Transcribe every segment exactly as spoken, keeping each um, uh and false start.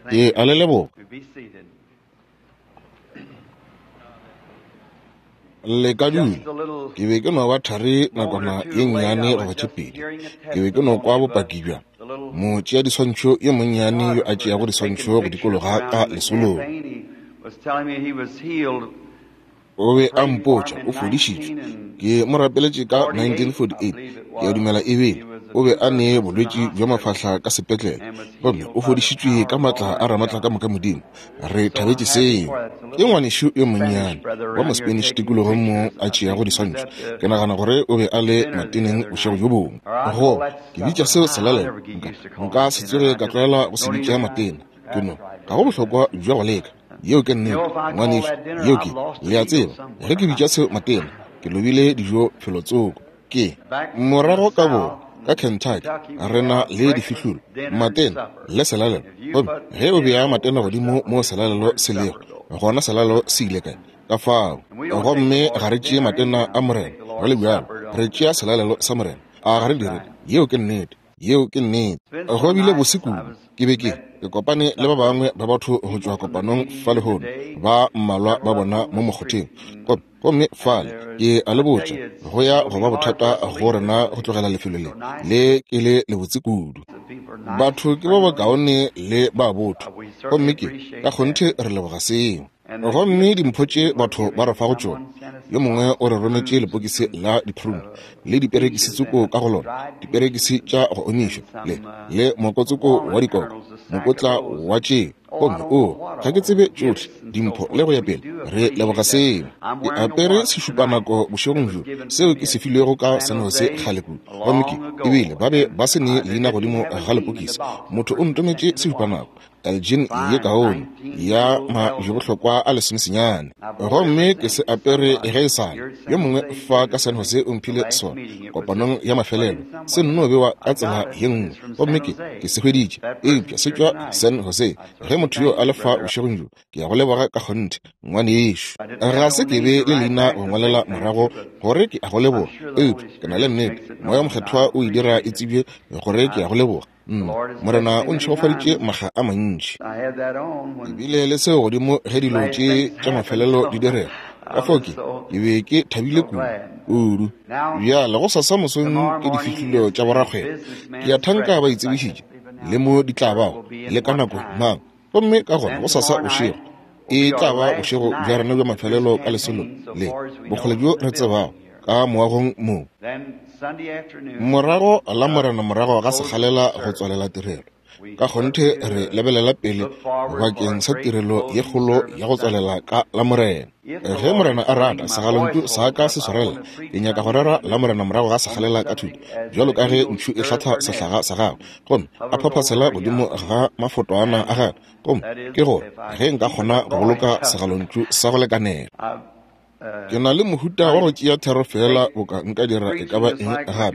Ke a le leboga. Le ka dula. Ke be ke no ba thari nakwana ye nnyane goba tše pedi. Ke be ke no kwa bopaki bja motšea diswantšho yo monnyane yo a tšeago diswantšho go dikologa ka lesolong. O be a mpotša o fodišitšwe. Ke mo rapeletše ka nineteen forty-eight. Ke a dumela e bile o be a ne bolwetši bja mafahla ka sepetlele, gomme o fodišitšwe ka maatla a Ramatlakamoka Modimo. Re thabetše seo. Ke ngwanešu yo monnyane wa mo-Spanish tikologong mo a tšeago diswantšho. Ke nagana gore o be a le mateneng bošego bjo bongwe. Go ke bitša seo selalelo. Nka nka se tsoge ka tlwaela go se bitša matena. Ke no ga go bohlokwa bja go leka. Yeo ke nnete, ngwanešu. Yeo ke, le a tseba, ge ke bitša seo matena, ke lobile dijo felotsoko. Ke morago ka borwa ka Kentucky, re na le difihlolo, matena le selalelo. Gomme ge o bea matena godimo mo selalelo se lego, gona selalelo se ile kae? Ka fao. Gomme ga re tšee matena a Morena go le bjalo, re tšea selalelo sa Morena. A ga re dire? Yeo ke nnete. Yeo ke nnete. Go bile bose kudu. Ke be ke ke kopane le ba bangwe ba batho go tšwa kopanong fa lehono, ba mmalwa ba bona mo mokgotheng. Gomme fale ke a le botša, go ya go ba bothata go rena go tlogela lefelo le le ke le lebotse kudu. Batho ke ba bakaone le ba botho, gomme ke ka kgonthe re leboga seo. Gomme dimpho tše batho ba re fago tšona, yo mongwe o re rometše lepokisi la diprune le diperekisi tsoko ka go lona, diperekisi tša go omišwa le le mokotsoko wa dikoko, mokotla wa tše. Gomme o ga ke tsebe tšohle dimpho le go ya pele. Re leboga seo. Ke apere sešupanako bošegong bjo seo ke se filwego ka San Jose kgale kudu. Gomme ke ebile ba be ba se ne leina godimo ga lepokisi. Motho o ntometše sešupanako Elgin ye kaone ya majebohlokwa a lesomesenyane, gomme ke se apere ge e sa le. Yo mongwe fa ka San Jose o mphile sona kopanong ya mafelelo, se nno bewa ka tsela ye nngwe, gomme ke ke se hweditše, eupša se tšwa San Jose. Ge motho yo a le fa bošegong bjo, ke ya go leboga ka kgonthe, ngwanešu. Ga se ke be le leina go ngwalela morago gore ke a go leboga, eupša ke na le nnete Moya Mokgethwa o e dira e tsebje gore ke ya go leboga. Nna Morena o ntšhegofaditše makga a mantši. Ke bile le seo godimo ge dilo tše tša mafelelo di direga. Ka fao ke ke be ke thabile kudu kudu. Bjale go sasa mosong ke difihlolo tša borakgwebo. Ke a thanka ba itsebišitše le mo di tla bago le ka nako mang. Gomme ka gona go sasa bošego e tla ba bošego bja rena bja mafelelo ka lesolo le bokgole bjo re tsebago ka moagong mo. Morago la Morena morago ga sekgalela go tswalela tirelo. Ka kgonthe re lebelela pele bakeng sa tirelo ye kgolo ya go tswalela ka la Morena. Ge Morena a rata, segalontšu sa ka se swarela. Ke nyaka go rera la Morena morago ga sekgalela ka thuto, bjalo ka ge ntšhu e hlatha sehlaga sa gagwe, gomme a phaphasela godimo ga mafotwana a gagwe. Gomme ke gore ge nka kgona go boloka segalontšu sa go lekanela. Ke na le mohuta wa go tšea thero fela boka nka dira e ka ba eng gape,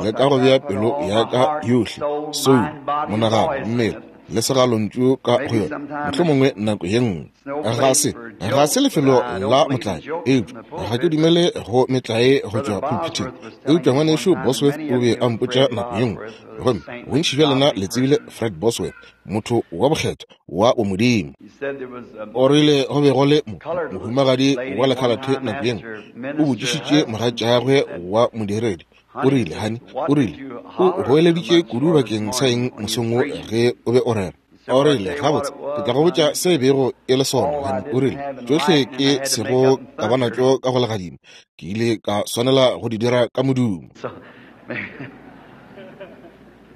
le ka go bea pelo ya ka yohle, soulo, monagano, mmele le segalontšu ka go yona, mohlomongwe nako ye nngwe. Ga se ga se lefelo la motlae, eupša ga ke dumele go metlae go tšwa pulpiteng. Eupša ngwanešu Bosworth o be a mpotša nako ye nngwe, gomme bontši bja lena le tsebile Fred Bosworth, motho wa bokgethwa wa bomodimo. O rile go be go le mohumagadi wa lekhalathe nako ye nngwe, o botšišitše mogatšagwe wa modiredi. O rile, honey, o rile, o goeleditše kudu bakeng sa eng mosong wo ge o be o rera? O rile, gabotse, ke tla go botša se bego e le sona, honey. O rile, tšohle ke sego ka ba natšo ka go legadima, ke ile ka swanela go di dira ka modumo.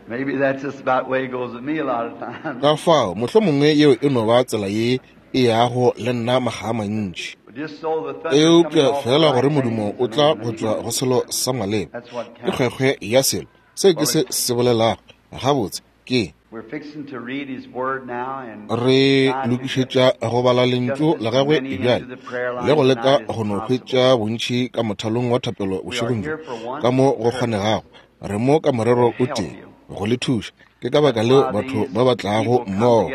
Maybe that's just about the way it goes with me a lot of times. Ka fao, mohlomongwe yeo e no ba tsela ye e yago le nna makga a mantši. Eupša fela gore modumo o tla go tšwa go selo sa maleba, ke kgwekgwe ya selo seo ke se se bolelago. Gabotse ke re lokišetša go bala lentšu la gagwe bjale le go leka go no hwetša bontši ka mothalong wa thapelo bošegong bjo ka mo go kgonegago. Re mo ka morero o tee, go le thuša. Ke ka baka leo batho ba ba tlago mmogo.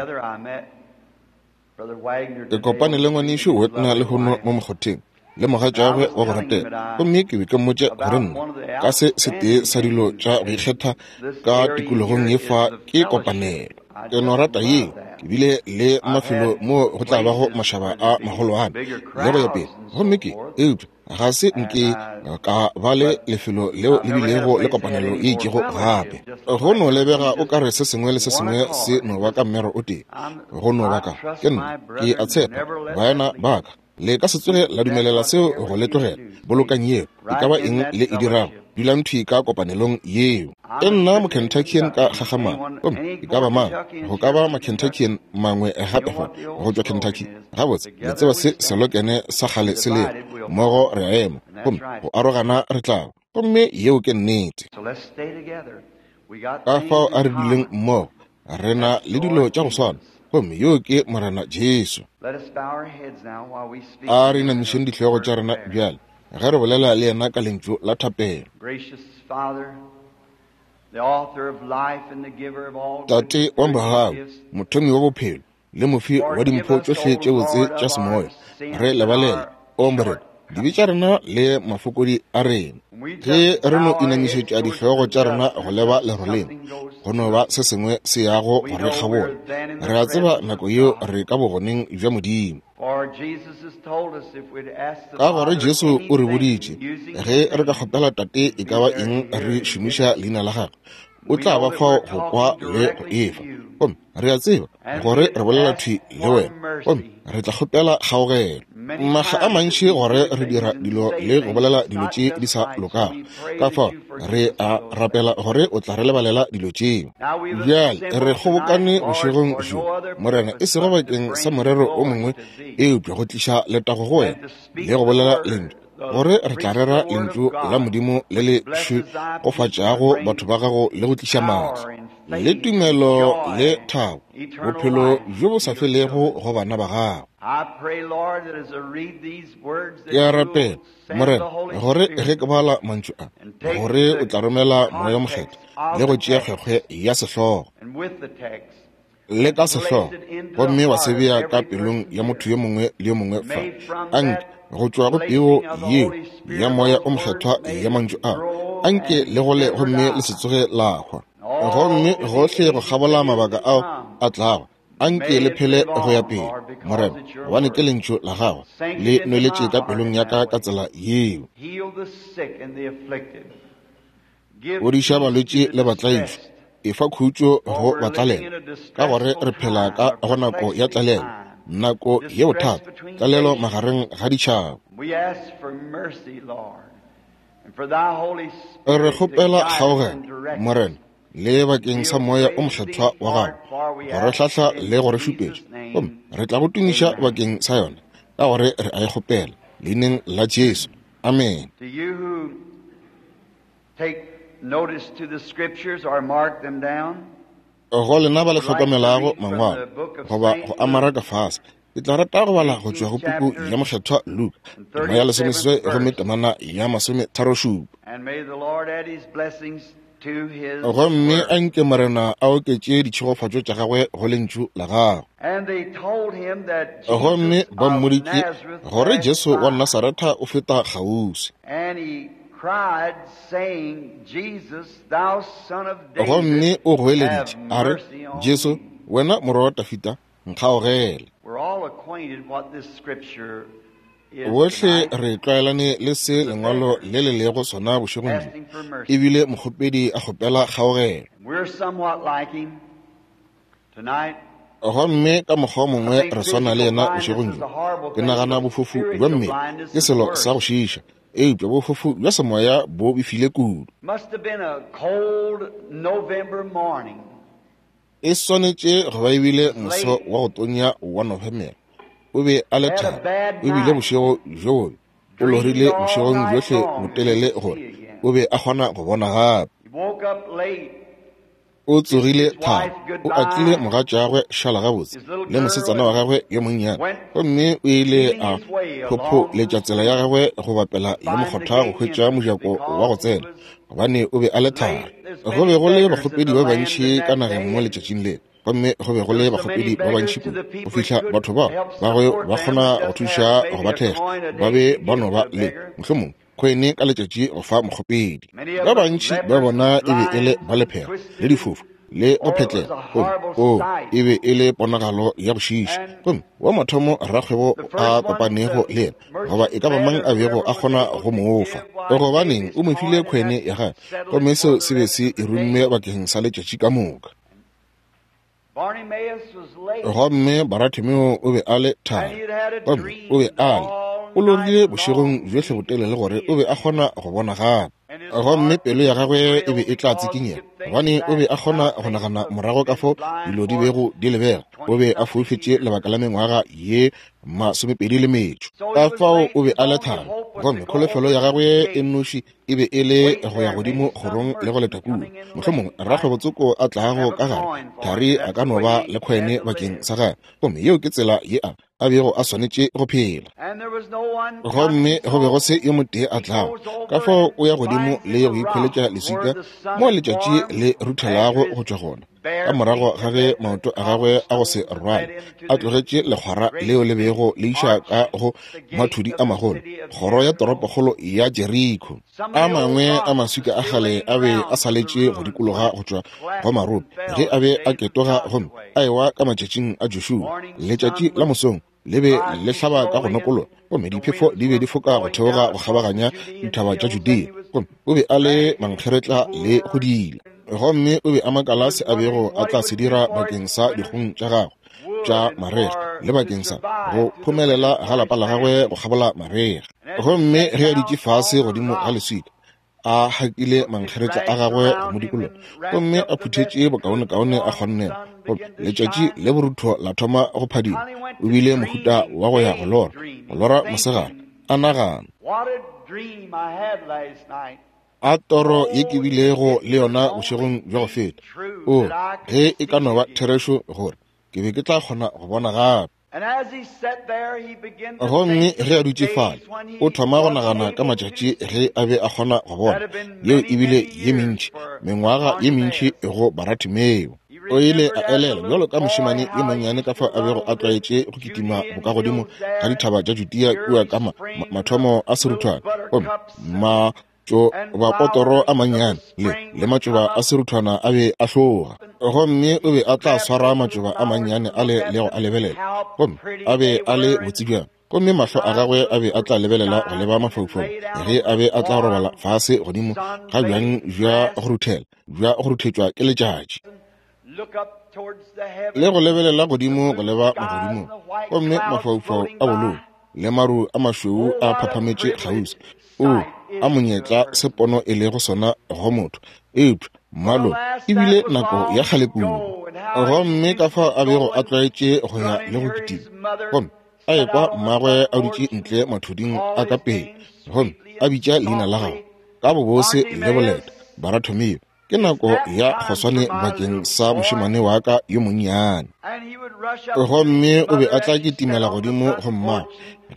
Ke kopane le ngwanešu Wagner lehono mo mokgotheng le mogatšagwe wa go ratega, gomme ke be ke mmotša gore nna ka se setee sa dilo tša go ikgetha ka tikologong ye fa ke kopanelo. Ke no rata yeo. Ke bile le mafelo mo go tla bago mašaba a magolwane le go ya pele. Gomme ke, eupša ga se nke ka ba le lefelo leo le bilego le kopanelo ye itšego gape. Go no lebega o ka re se sengwe le se sengwe se no ba ka mmero o tee. Go no ba ka, ke nna, ke a tshepa, baena ba ka, le ka se tsoge la dumelela seo go le tlogela. Bolokang yeo, e ka ba eng le e dirago, dulang thwi ka kopanelong yeo. Ke nna Mokentuckian ka kgagamalo, gomme e ka ba mang, go ka ba Makentuckian mangwe gape fa go tšwa Kentucky. Gabotse, le tseba se selokene sa kgale se lego, mmogo re a ema, gomme go arogana re tla. Gomme yeo ke nnete. Ka fao a re duleng mmogo, re na le dilo tša go swana, gomme yo ke Morena Jesu. A re inamišeng dihlogo tša rena bjale ge re bolela le yena ka lentšu la thapelo. Tate wa mogau, mothomi wa bophelo le mofi wa dimpho tšohle tše botse tša semoya, re lebalele, o Morena, dibe tša rena le mafokodi a rena. Ge re no inamišetša dihlogo tša rena go leba leroleng, go no ba se sengwe se yago go re kgabola. Re a tseba nako yeo re ka bogoneng bja Modimo. Ka gore Jesu o re boditše, ge re ka kgopela Tate e ka ba eng re šomiša leina la gagwe, o tla ba fao go kwa le go efa. Gomme re a tseba gore re bolela thwi le wena, gomme re tla kgopela kgaogelo. Makga a mantši gore re dira dilo le go bolela dilo tše di sa lokago, ka fao re a rapela gore o tla re lebalela dilo tšeo. Bjale re kgobokane bošegong bjo, Morena, e sego bakeng sa morero o mongwe, eupša go tliša letago go wena le go bolela lentšu, gore re tla rera lentšu la Modimo le le šegofatšago batho ba gago le go tliša maatla le tumelo le thabo, bophelo bjo bo sa felego go bana ba gago. Ke a rapela, Morena, gore ge ke bala mantšu a, gore o tla romela Moya o Mokgethwa le go tšea kgwekgwe ya sehlogo le ka sehlogo, gomme wa se bea ka pelong ya motho yo mongwe le yo mongwe fa. Anke go tšwa go peo yeo ya Moya o Mokgethwa ya mantšu a, anke le gole gomme le se tsoge la hwa. Gomme gohle go kgabola mabaka ao a tlago, anke le phele go ya pele, Morena, gobane ke lentšu la gago le nweletše ka pelong ya ka ka tsela yeo. Fodiša balwetši le batlaišwa, efa khutšo go batlalela, ka gore re phela ka go nako ya tlalelo, nako ye bothata, tlalelo magareng ga ditšhaba. Re kgopela kgaogelo, Morena, le bakeng sa Moya o Mokgethwa wa gago go re hlahla le go re šupetša, gomme re tla go tumiša bakeng sa yona, ka gore re a e kgopela leineng la Jesu. Amen. Go lena ba le hlokomelago mangwalo goba go amara ka fase, ke tla rata go bala go tšwa go puku ya Mokgethwa Luka, tema ya lesomeseswai gomme temana ya masometharošupa. Gomme anke Morena a oketše ditšhegofatšo tša gagwe go lentšu la gagwe. Gomme ba mmoditše gore Jesu wa Nasaretha o feta kgauswi. Gomme o goeleditše a re, Jesu, wena morwa wa Dafida, nkgaogele. Bohle re tlwaelane le se lengwalo le le lego sona bošegong bjo, ebile mokgopedi a kgopela kgaogelo. Gomme ka mokgwa o mongwe re swana le yena bošegong bjo. Ke nagana bofofu bja mmele ke selo sa go šiiša, eupša bofofu bja semoya bo befile kudu. E swanetše go ba ebile moso wa go tonya wa Nofemere. O be a le thari, o bile bošego bjo bobe, o lorile bošegong bjohle botelele gore o be a kgona go bona gape. O tsogile thari, o atlile mogatšagwe šala gabotse le mosetsana wa gagwe yo monnyane, gomme o ile a phopholetša tsela ya gagwe go bapela le mokgotha go hwetša mojako wa go tsena, gobane o be a le thari. Go be go le bakgopedi ba bantši ka nageng mo letšatšing leo, gomme go be go le bakgopedi ba bantši kudu go fihla batho bao ba go ba kgona go thuša go ba thekga, ba be ba no ba le mohlomongwe khoene ka letšatši go fa mokgopedi. Ba bantši ba bona e be e le ba lephera le difofu le go phetlela. Gomme o e be e le ponagalo ya go šiiša. Gomme wa mathomo rakgwebo a kopanego le yena, goba e ka ba mang a bego a kgona go mo fa, gobaneng o mo file khwene ya gagwe, gomme seo se be se e rumme bakeng sa letšatši ka moka. Gomme Baratimeo o be a le thari, gomme o be a le o lorile bošegong bjohle botelele gore o be a kgona go bona gape. Gomme pelo ya gagwe e be e tla tsikinyega, gobane o be a kgona go nagana morago ka fo dilo di bego di lebega. O be a foufetše lebaka la mengwaga ye masomepedi le metšo. Ka fao o be a le thari, gomme kholofelo ya gagwe e nnoši e be e le go ya godimo kgorong le go leta kua. Mohlomongwe rakgwebotsoko a tlago ka gare, thari a ka no ba le khwene bakeng sa gagwe. Gomme yeo ke tsela ye a a bego a swanetše go phela. Gomme go be go se yo motee a tlago. Ka fao o ya godimo le go ikhweletša leswika mo letšatši le ruthelago go tšwa gona. Ka morago ga ge maoto a gagwe a go se rwale a tlogetše lekgwara leo le bego le iša ka go mathudi a magolo, kgoro ya toropokgolo ya Jeriko. A mangwe a maswika a kgale a be a saletše go dikologa go tšwa go marope ge a be a ketoga gomme a ewa ka matšatšing a Joshua. Letšatši la mosong le be le hlaba ka go nokologa, gomme diphefo di be di foka go theoga go kgabaganya dithaba tša Judea. Gomme o be a le mankgeretla le go dila. Gomme o be a makala se a bego a tla se dira bakeng sa dikgong tša gagwe tša marega le bakeng sa go phomelela ga lapa la gagwe go kgabola marega. Gomme ge a dutše fase godimo ga leswika, a hakile mankgeretla a gagwe go mo dikologa, gomme a phuthetše bokaonekaone a kgonnego, gomme letšatši le borutho la thoma go phadima. O bile mohuta wa go ya go lora, go lora mosegare, a nagana, a toro ye ke bilego le yona bošegong bja go feta. O, ge e ka no ba therešo gore ke be ke tla kgona go bona gape. Gomme ge a dutše fale, o thoma go nagana ka matšatši ge a be a kgona go bona. Yeo e bile ye mentši, mengwaga ye mentši go Baratimeo. O ile a elela bjalo ka mošemane yo monnyane ka fao a bego a tlwaetše go kitima bokagodimo ga dithaba tša Judea kua ka ma, ma, mathomo a seruthwane, gomme ma matšoba a mannyane le le matšoba a seruthwana a be a hloga. Gomme o be a tla swara matšoba a mannyane a le le go a lebelela, gomme a be a le botse bjang. Gomme mahlo a gagwe a be a tla lebelela go leba mafaufau ge a be a tla robala fase godimo ga bjang bja go ruthela, bja go ruthetšwa ke letšatši, le go lebelela godimo go leba magodimong. Gomme mafaufau a bolou le maru a mašweu a phaphametše kgauswi. O a monyetla se pono e lego sona go motho, eupša mmalo e bile nako ya kgale kudu. Gomme ka fao a bego a tlwaetše go ya le go kitima, gomme a ekwa mmagwe a dutše ntle mathuding a ka pele, gomme a bitša leina la gagwe ka bobose le boleta, Baratimeo, ke nako ya kgoswane bakeng sa mošemane wa ka yo monnyane. Gomme o be a tla kitimela godimo go mmagwe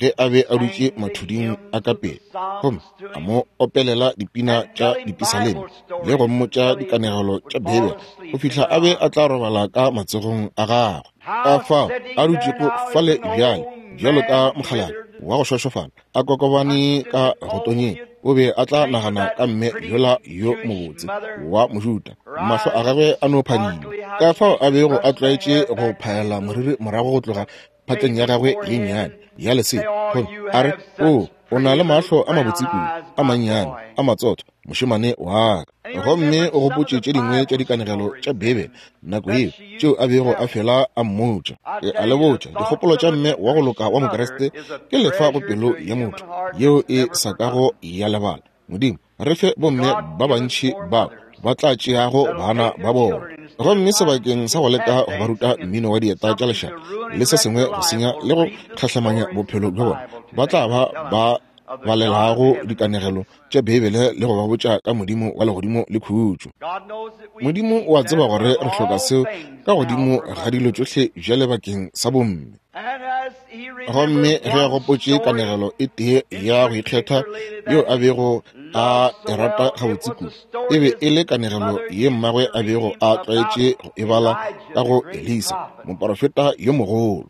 ge a be a dutše mathuding a ka pele, gomme a mo opelela dipina tša dipisaleme le go mmotša dikanegelo tša Beibele go fihla a be a tla robala ka matsogong a gagwe. Ka fao a dutšego fale bjale bjalo ka mokgalabje wa go šošofala a kokobane ka go tonyeng, o be a tla nagana ka mme yola yo mobotse wa Mojuta, mahlo a gagwe a no phadima. Ka fao a bego a tlwaetše go phaela moriri morago go tloga phatleng ya gagwe ye nnyane ya lesea, gomme a re, o o na le mahlo a mabotse kudu, a mannyane, a matsotho, mošemane wa ka. Gomme o gopotše tše dingwe tša dikanegelo tša Beibele nako yeo tšeo a bego a fela a mmotša. Ke a le botša, dikgopolo tša mme wa go loka wa Mokriste ke lefa go pelo ya motho yeo e sa kago ya lebala. Modimo re fe bomme ba bantši bao ba tla tšeago bana ba bona, gomme sebakeng sa go leka go ba ruta mmino wa dieta tša lešata le se sengwe go senya le go tlhahlamanya bophelo bja bona, ba tla ba ba balelago dikanegelo tša Beibele le go ba botša ka Modimo wa legodimo le khutšo. Modimo o a tseba gore re hloka seo ka godimo ga dilo tšohle bjale bakeng sa bomme. Gomme ge a gopotše kanegelo e tee ya go ikgetha yeo a bego a e rata gabotse kudu, e be e le kanegelo ye mmagwe a bego a tlwaetše go e bala ka go Elisa, moporofeta yo mogolo.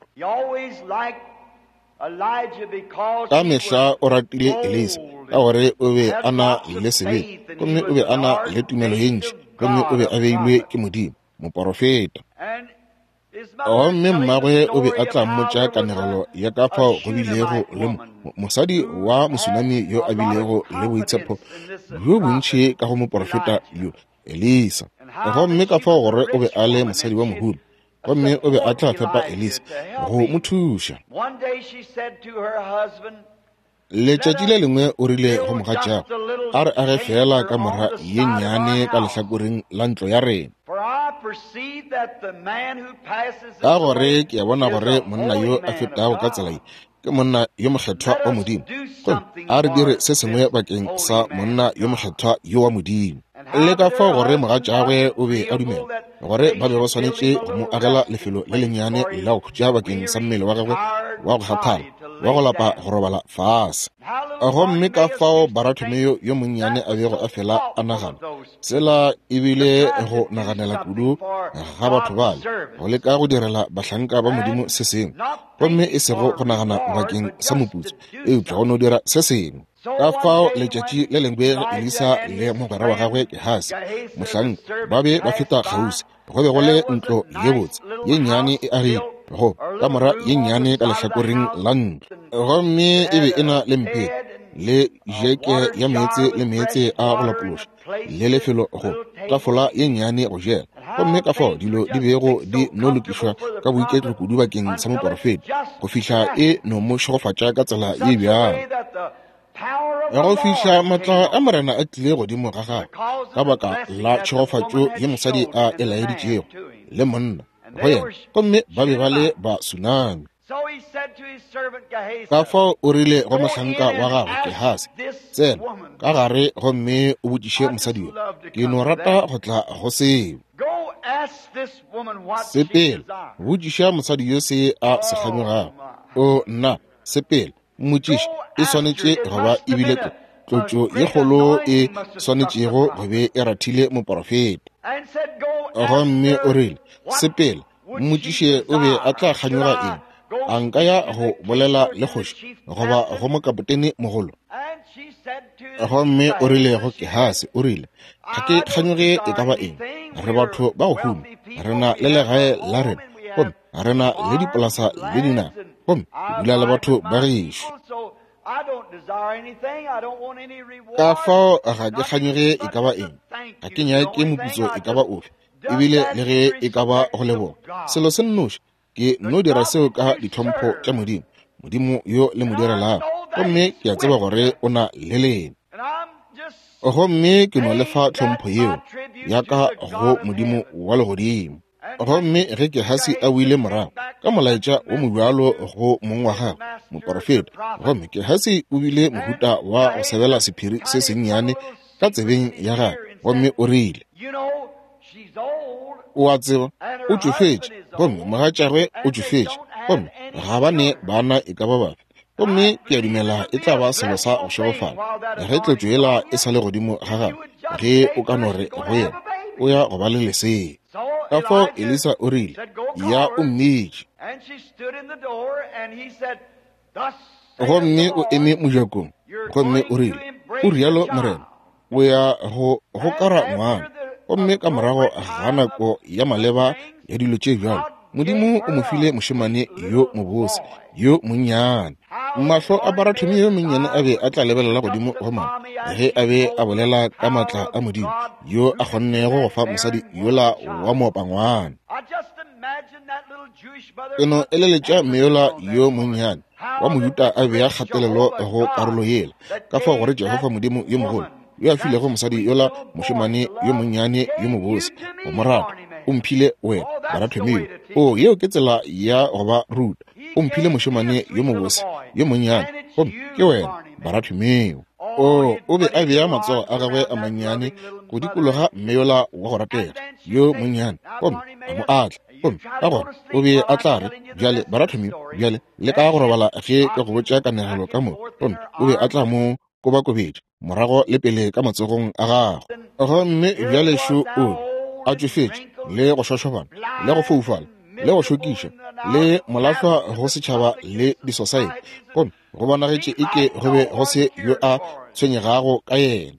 Ka mehla o ratile Elisa ka gore o be a na le sebete, gomme o be a na le tumelo ye ntši, gomme o be a beilwe ke Modimo, moporofeta. Gomme mmagwe o be a tla mmotša kanegelo ya ka fao go bilego le mosadi wa Mosunami yo a bilego le boitshepo bjo bontši ka go moporofeta yo, Elisa. Gomme ka fao gore o be a le mosadi wa mohumi, gomme o be a tla fepa Elisa go mo thuša. Letšatši le lengwe o rile go mogatšagwe, a re age fela kamora ye nnyane ka lehlakoreng la ntlo ya rena, ka gore ke a bona gore monna yo a fetago ka tsela ye ke monna yo mokgethwa wa Modimo. Gomme a re dire se sengwe bakeng sa monna yo mokgethwa yo wa Modimo. Le ka fao gore mogatšagwe o be a dumela gore ba be ba swanetše go mo agela lefelo le lennyane la go khutša bakeng sa mmele wa gagwe wa go kgathala wa go lapa go robala fase. Gomme ka fao Barathomeo yo monnyane a bego a fela a nagana, tsela ebile go naganela kudu ga batho bale, go leka go direla bahlanka ba Modimo se sengwe, gomme e sego go nagana bakeng sa moputso, eupša go no dira se sengwe. Ka fao letšatši le lengwe Elisa le mogwera wa gagwe Gehasi mohlanka ba be ba feta kgauswi, go be go le ntlo ye botse ye nnyane e agilwe go kamora ye nnyane ka lehlakoreng la ntlo, gomme e be e na le mpete le jeke ya meetse le meetse a go lapološa le lefelo go tafola ye nnyane go jela. Gomme ka fao dilo di bego di no lokišwa ka boiketlo kudu bakeng sa moporofeta go fihla e no mo šegofatša ka tsela ye bjalo, go fihla matla a Morena a tlile godimo ga gagwe ka baka la tšhegofatšo ye mosadi a e laeditšego le monna go yena, gomme ba be ba le ba Sunami. Ka fao o rile go mohlanka wa gagwe Gehasi, tsena ka gare gomme o botšiše mosadi yo, ke no rata go tla go seo. Sepela, botšiša mosadi yo se a se kganyogago. O nna, sepela, mmotšiše, e swanetše go ba ebile tlotšo ye kgolo e swanetšego go be e rathile moporofeta. Gomme o rile, sepela, mmotšiše o be a tla kganyoga eng, a nka ya go bolela le kgoši goba go mokapotene mogolo? Gomme o rile go Gehasi, o rile, ga ke kganyoge e ka ba eng, re batho ba go huma, re na le legae la rena, gomme re na le dipolasa le dinaga, gomme ke dula le batho ba gešo. Ka fao ga ke kganyoge e ka ba eng, ga ke nyake moputso e ka ba ofe, ebile le ge e ka ba go leboga. Selo se nnoši, ke no dira seo ka ditlhompho tša Modimo, Modimo yo le mo direlago, gomme ke a tseba gore o na le lena. Gomme ke no lefa tlhompho yeo ya ka go Modimo wa legodimo. Gomme ge Gehasi a boile morago ka molaetša wo mobjalo go mong wa gagwe moporofeta, gomme Gehasi o bile mohuta wa go sebela sephiri se sennyane ka tsebeng ya gagwe, gomme o rile, o a tseba, o tšofetše, gomme mogatšagwe o tšofetše, gomme ga ba ne bana e ka ba bafe, gomme ke a dumela e tla ba selo sa go šegofala ge tlotšo yela e sa le godimo ga gagwe, ge o ka no re go yena o ya go ba le lesea. Ka fao Elisa o rile, ya o mmitše. Gomme o eme mojakong, gomme o rile, o rialo Morena, o ya go gokara ngwana. Gomme ka morago ga nako ya maleba ya dilo tše bjalo, Modimo o mo file mošemane yo mobose yo monnyane. Mahlo a Barathomeo yo monnyane a be a tla lebelela godimo go mama ge a be a bolela ka matla a Modimo yo a kgonnego go fa mosadi yola wa moopangwana. Ke no eleletša mme yola yo monnyane wa Mojuta a bea kgatelelo go karolo yela, ka fao gore Jehofa Modimo yo mogolo yo a filego mosadi yola mošemane yo monnyane yo mobose go mo rata, o mphile wena Barathomeo. O yeo ke tsela ya go ba ruta. O mphile mošemane yo mobose yo monnyane, gomme ke wena Barathomeo. O o be a bea matsogo a gagwe a mannyane go dikologa mme yola wa go ratega yo monnyane, gomme a mo atla. Gomme ka gona o be a tla re, bjale Barathomeo, bjale le ka go robala ge ke go botša kanegelo ka moka. Gomme o be a tla mo kobakobetša morago le pele ka matsogong a gagwe. Gomme bjale šo o a tšofetše le go šošobana le go foufala le go šokiša le molahlwa go setšhaba le disosaete, gomme go bonagetše eke go be go se yo a tshwenyegago ka yena.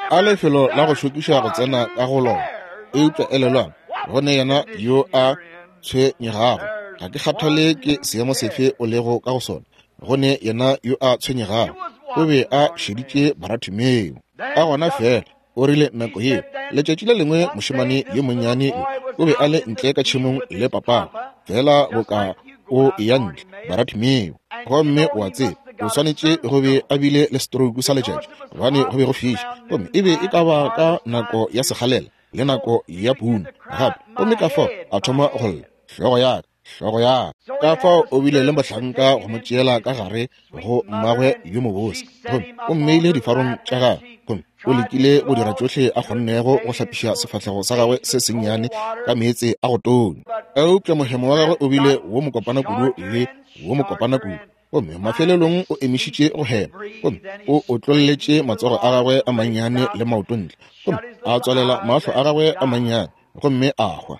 A lefelo la go šokiša go tsena ka go lona. Eupša elelwang, go ne yena yo a tshwenyegago. Ga ke kgathale ke seemo sefe o lego ka go sona, go ne yena yo a tshwenyegago. O be a šeditše Baratimeo. Ka gona fela o rile nako yeo, letšatši le lengwe mošemane yo monnyane yo o be a le ntle ka tšhemong le papagwe, fela boka o eya ntle, Baratimeo. Gomme o a tseba, o swanetše go be a bile le stroke sa letšatši, gobane go be go fiša, gomme e be e ka ba ka nako ya sekgalela le nako ya puno gape. Gomme ka fao a thoma go lla, hlogo ya ka, hlogo ya ka. Ka fao o bile le mohlanka go mo tšeela ka gare go mmagwe yo mobose, gomme o mmeile difarong tša gagwe, gomme o lekile go dira tšohle a kgonnego go hlapiša sefahlego sa gagwe se sennyane ka meetse a go tonya. Eupša mohemo wa gagwe o bile wo mokopana kudu le wo mokopana kudu, gomme mafelelong o emišitše go hema, gomme o otlolletše matsogo a gagwe a mannyane le maoto ntle, gomme a tswalela mahlo a gagwe a mannyane, gomme a hwa.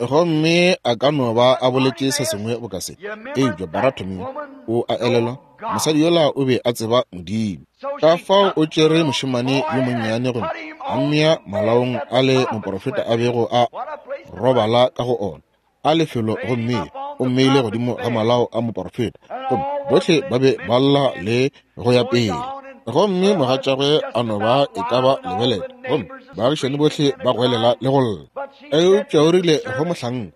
Gomme a ka no ba a boletše se sengwe boka se, eupša Baratimeo o a elelwa, mosadi yola o be a tseba Modimo. Ka fao o tšere mošemane yo monnyane gomme a mmea malaong a le moporofeta a bego a robala ka go ona, a lefelo, gomme o mmeile godimo ga malao a moporofeta, gomme bohle ba be ba lla le go ya pele. Gomme mogatšagwe a no ba e ka ba lebelela, gomme baagišani bohle ba goelela le go lla. Eupša o rile go mohlanka,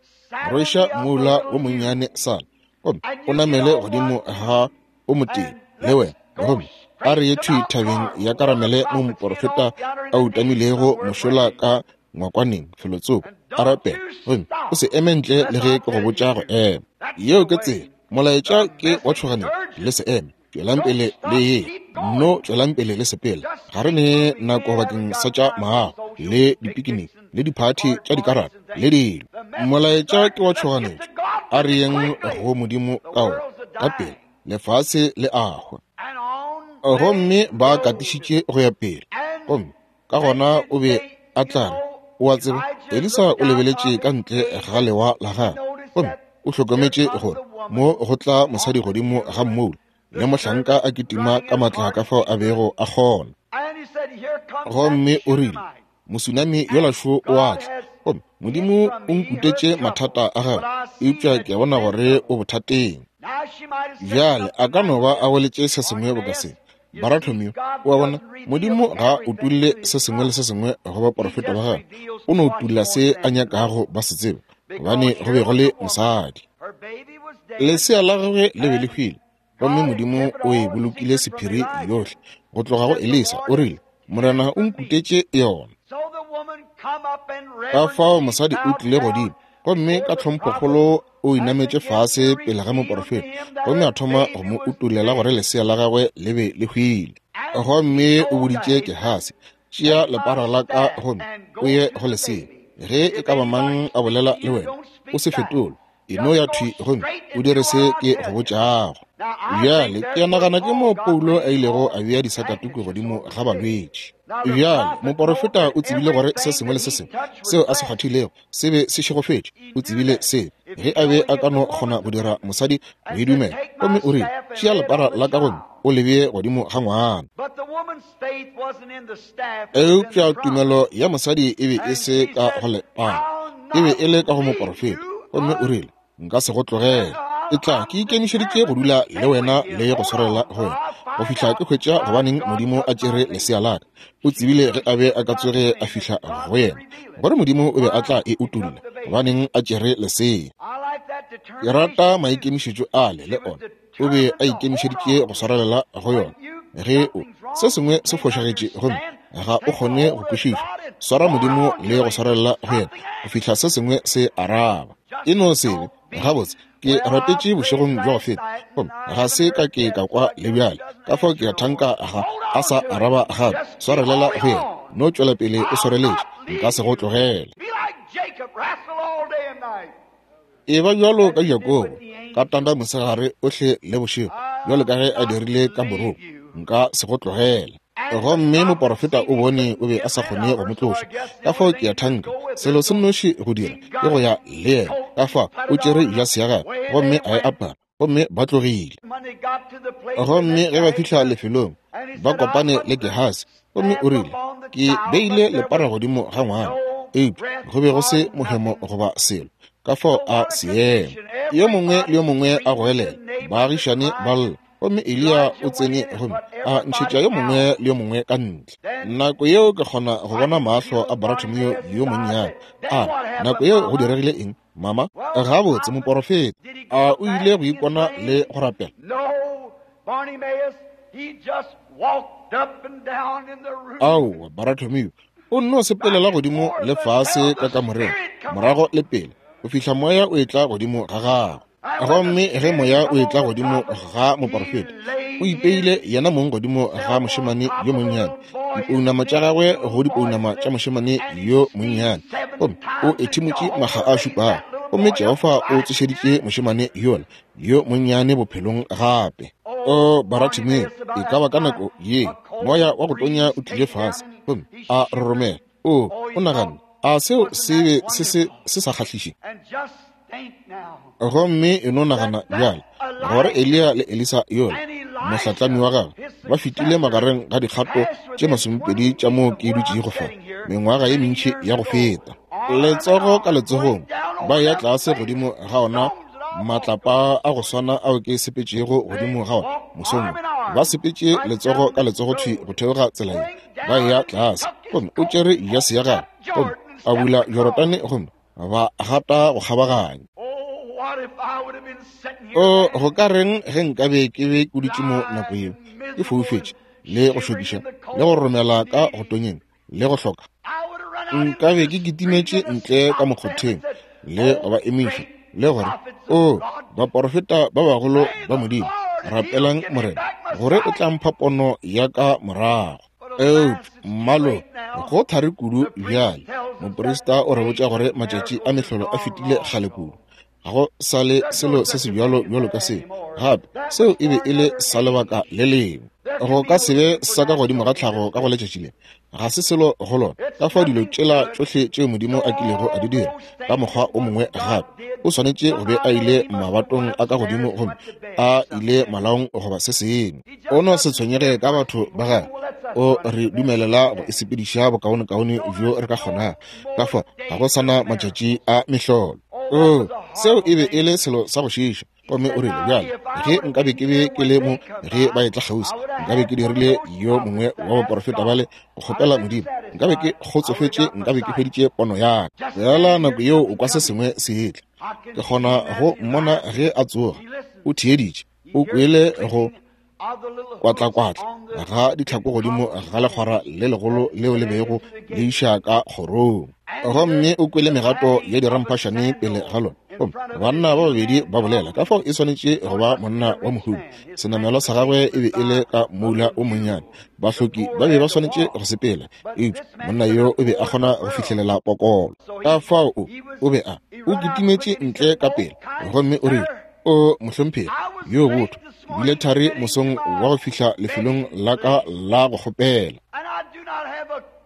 rweša moula wo monnyane sala, gomme o namele godimo ga o motee le wena, gomme a re ye thwi thabeng ya Karamele mo moporofeta a utamilego mošola ka ngwakwaneng felotsoko, a rapela, gomme o se eme ntle le ge ke go botša go ema. Yeo ke tsela. Molaetša ke wa tšhoganetšo, le se eme. Tšwelang pele le ye, nno tšwelang pele le sepela. Ga re ne nako bakeng sa tša maago le dipikiniki le diphathi tša dikarata le dilo. Molaetša ke wa tšhoganetšo. A re yeng go Modimo ka ona ka pele, lefase le a hwa. Gomme ba katišitše go ya pele. Gomme ka gona o be a tla re, o a tseba, Elisa o lebeletše ka ntle ga lewa la gagwe, gomme o hlokometše gore mo go tla mosadi godimo ga mmoula le mohlanka a kitima ka matla ka fao a bego a kgona. Gomme o rile, mosunami yola šo o a tla, gomme Modimo o nkutetše mathata a gagwe, eupša ke a bona gore o bothateng. Bjale a ka no ba a boletše se sengwe boka se, Baratimeo, o a bona, Modimo ga utulle se sengwe le se sengwe go baporofeta ba gagwe, o no utulla se a nyakago ba se tseba, gobane go be go le mosadi. Lesea la gagwe le be le hwile, gomme Modimo o e bolokile sephiri yohle go tloga go Elisa. O rile, Morena o nkutetše yona. Ka fao mosadi o tlile godimo, gomme ka tlhomphokgolo o inametše fase pele ga moporofeta, gomme a thoma go mo utulela gore lesea la gagwe le be le hwile. Gomme o boditše Gehasi, tšea lepara la ka gomme o ye go lesea. Ge e ka ba mang a bolela le wena, o se fetole, e no ya thwi gomme o dire se ke go botšago. Bjale ke nagana ke mo Paulo a ilego a bea disakatuku godimo ga balwetši. Bjale moporofeta o tsebile gore se sengwe le se sengwe seo a se kgwathilego se be se šegofetše. O tsebile se ge a be a ka no kgona go dira mosadi go e dumela. Gomme o rile, tšea lepara la ka gomme o le bee godimo ga ngwana. Eupša tumelo ya mosadi e be e se ka go lepara, e be e le ka go moporofeta. Gomme o rile, nka se go tlogele, e tla ke ikemišeditše go dula le wena le go swarela go wena go fihla ke hwetša gobaneng Modimo a tšere lesea la ka. O tsebile ge a be a ka tsoge a fihla go yena gore Modimo o be a tla e utulla gobaneng a tšere lesea. Ke rata maikemišetšo ale le ona. O be a ikemišeditše go swarelela go yona. Ge o se sengwe se fošagetše gomme ga o kgone go kwešiša, swara Modimo le go swarelela go yena go fihla se sengwe se araba. E no se be gabotse, ke rapetše bošegong bja go feta, gomme ga se ka ke ka kwa le bjale. Ka fao ke a thanka ga a sa araba gape. Swarelela go yena, no tšwela pele o swareletše, nka se go tlogele. E ba bjalo ka Jakobo, ka tanda mosegare ohle le bošego, bjalo ka ge a dirile ka morong, nka se go tlogele. Gomme moporofeta o bone o be a sa kgone go mo tloša. Ka fao ke a thanka selo se nnoši go dira ke go ya le yena. Ka fao o tšere jase ya gagwe gomme a e apara, Gomme ba tlogile. Gomme ge ba fihla lefelong, ba kopane le Gehasi, gomme o rile, ke beile lepara godimo ga ngwana, eupša go be go se mohemo goba selo, ka fao a seema. Yo mongwe le yo mongwe a goelela, baagišane ba lla, gomme Eliya o tsene gomme a ntšhetša yo mongwe le yo mongwe ka ntle. Nako yeo ke kgona go bona mahlo a Bartimeo yo monnyane. A re, nako yeo go diregile eng, mama? Gabotse, moporofeta, a o ile go ikona le go rapela? Aowa, Bartimeo, o nno sepelela godimo le fase ka kamoreng, morago le pele, go fihla moya o etla godimo ga gagwe. Gomme ge moya o etla godimo ga moporofeta, o ipeile yena mong godimo ga mošemane yo monnyane, dipounama tša gagwe go dipounama tša mošemane yo monnyane, gomme o ethimotše makga a šupago, gomme Jehofa o tsošeditše mošemane yola yo monnyane bophelong gape. O Bartimeo, e ka ba ka nako ye moya wa go tonya o tlile fase gomme a roromela. O o naganne, a seo se be se se se sa kgahliše? Gomme e no nagana bjale gore Eliya le Elisa yola mohlatlami wa gagwe ba fetile magareng ga dikgato tše masomepedi tša moo ke dutšego fa mengwaga ye mentši ya go feta, letsogo ka letsogong ba ya tlase godimo ga ona matlapa a go swana ao ke sepetšego godimo ga ona mosong. Ba sepetše letsogo ka letsogo thwi go theoga tsela ye, ba ya tlase, gomme o tšere jase ya gagwe gomme a bula Jorodane gomme ba gata go kgabaganya. O go ka reng ge nkabe ke be ke dutše mo nako yeo, ke foufetše le go šokiša le go romela ka go tonyeng le go hloka? Nkabe ke kitimetše ntle ka mokgotheng le go ba emiša le gore, o baporofeta ba bagolo ba Modimo, rapelang Morena gore o tla mpha pono ya ka morago. Eupša mmalo go thari kudu bjale. Moprista o re botša gore matšatši a mehlolo a fetile kgale kudu. Ga go sa le selo se se bjalo bjalo ka seo. Gape seo e be e le sa lebaka le lengwe. Go ka se be sa ka godimo ga tlhago ka go letšatši le. Ga se selo go lona. Ka fao dilo tšela tšohle tšeo Modimo a kilego a di dira ka mokgwa o mongwe gape, o swanetše go be a ile mabatong a ka godimo gomme a ile malaong goba se sengwe. O no se tshwenyege ka batho ba gagwe. O re dumelela go e sepediša bokaonekaone bjo re ka kgonago. Ka fao ga go sana matšatši a mehlolo. O seo e be e le selo sa go šiiša. Gomme o rile, bjale ge nkabe ke be ke le mo ge ba etla kgauswi, nkabe ke dirile yo mongwe wa baporofeta bale go kgopela Modimo, nkabe ke kgotsofetše, nkabe ke hweditše pono ya ka. Fela nako yeo o kwa se sengwe se etla. Ke kgona go mmona ge a tsoga. O theeditše, o kwele go kwatlakwatla ga ditlhako godimo ga lekgwara le legolo leo le bego le iša ka kgorong, gomme o kwele megato ya diramphašane pele ga lona. Gomme banna ba babedi ba bolela, ka fao e swanetše go ba monna wa mohumi. Senamelwa sa gagwe e be e le ka moula o monnyane. Bahloki ba be ba swanetše go sepela, eupša monna yo o be a kgona go fihlelela pokolo. Ka fao o o be a o kitimetše ntle ka pele, gomme o rile, o mohlomphegi yo botho, bile thari mosong wa go fihla lefelong la ka la go kgopela,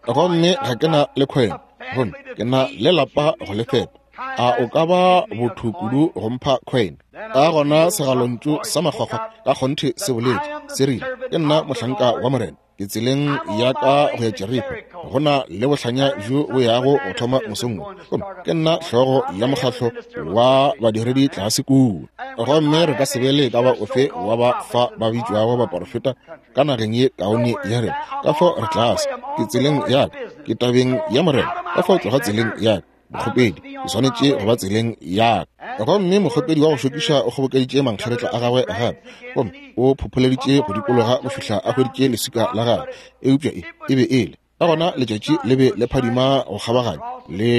gomme ga ke na le kgwebo, gomme ke na le lapa go le fepa. A o ka ba botho kudu go mpha coin? Ka gona segalontšu sa makgwakgwa ka kgonthe se boletše, se rile, ke nna mohlanka wa Morena, ke tseleng ya ka go ya Jeriko, go na le bohlanya bjo bo yago go thoma mosong wo, gomme ke nna hlogo ya mokgahlo wa badiredi tlase kua. Gomme re ka se be le ka ba ofe wa ba fa ba bitšwago baporofeta ka nageng ye kaone ya rena. Ka fao re tlase, ke tseleng ya ka, ke tabeng ya Morena, ka fao tloga tseleng ya ka. Mokgopedi, ke swanetše go ba tseleng ya ka. Gomme mokgopedi wa go šokiša o kgobokeditše mankgeretla a gagwe gape, gomme o phopholeditše go dikologa go fihla a hweditše leswika la gagwe. Eupša e e be e le ka gona letšatši le be le phadima go kgabaganya, le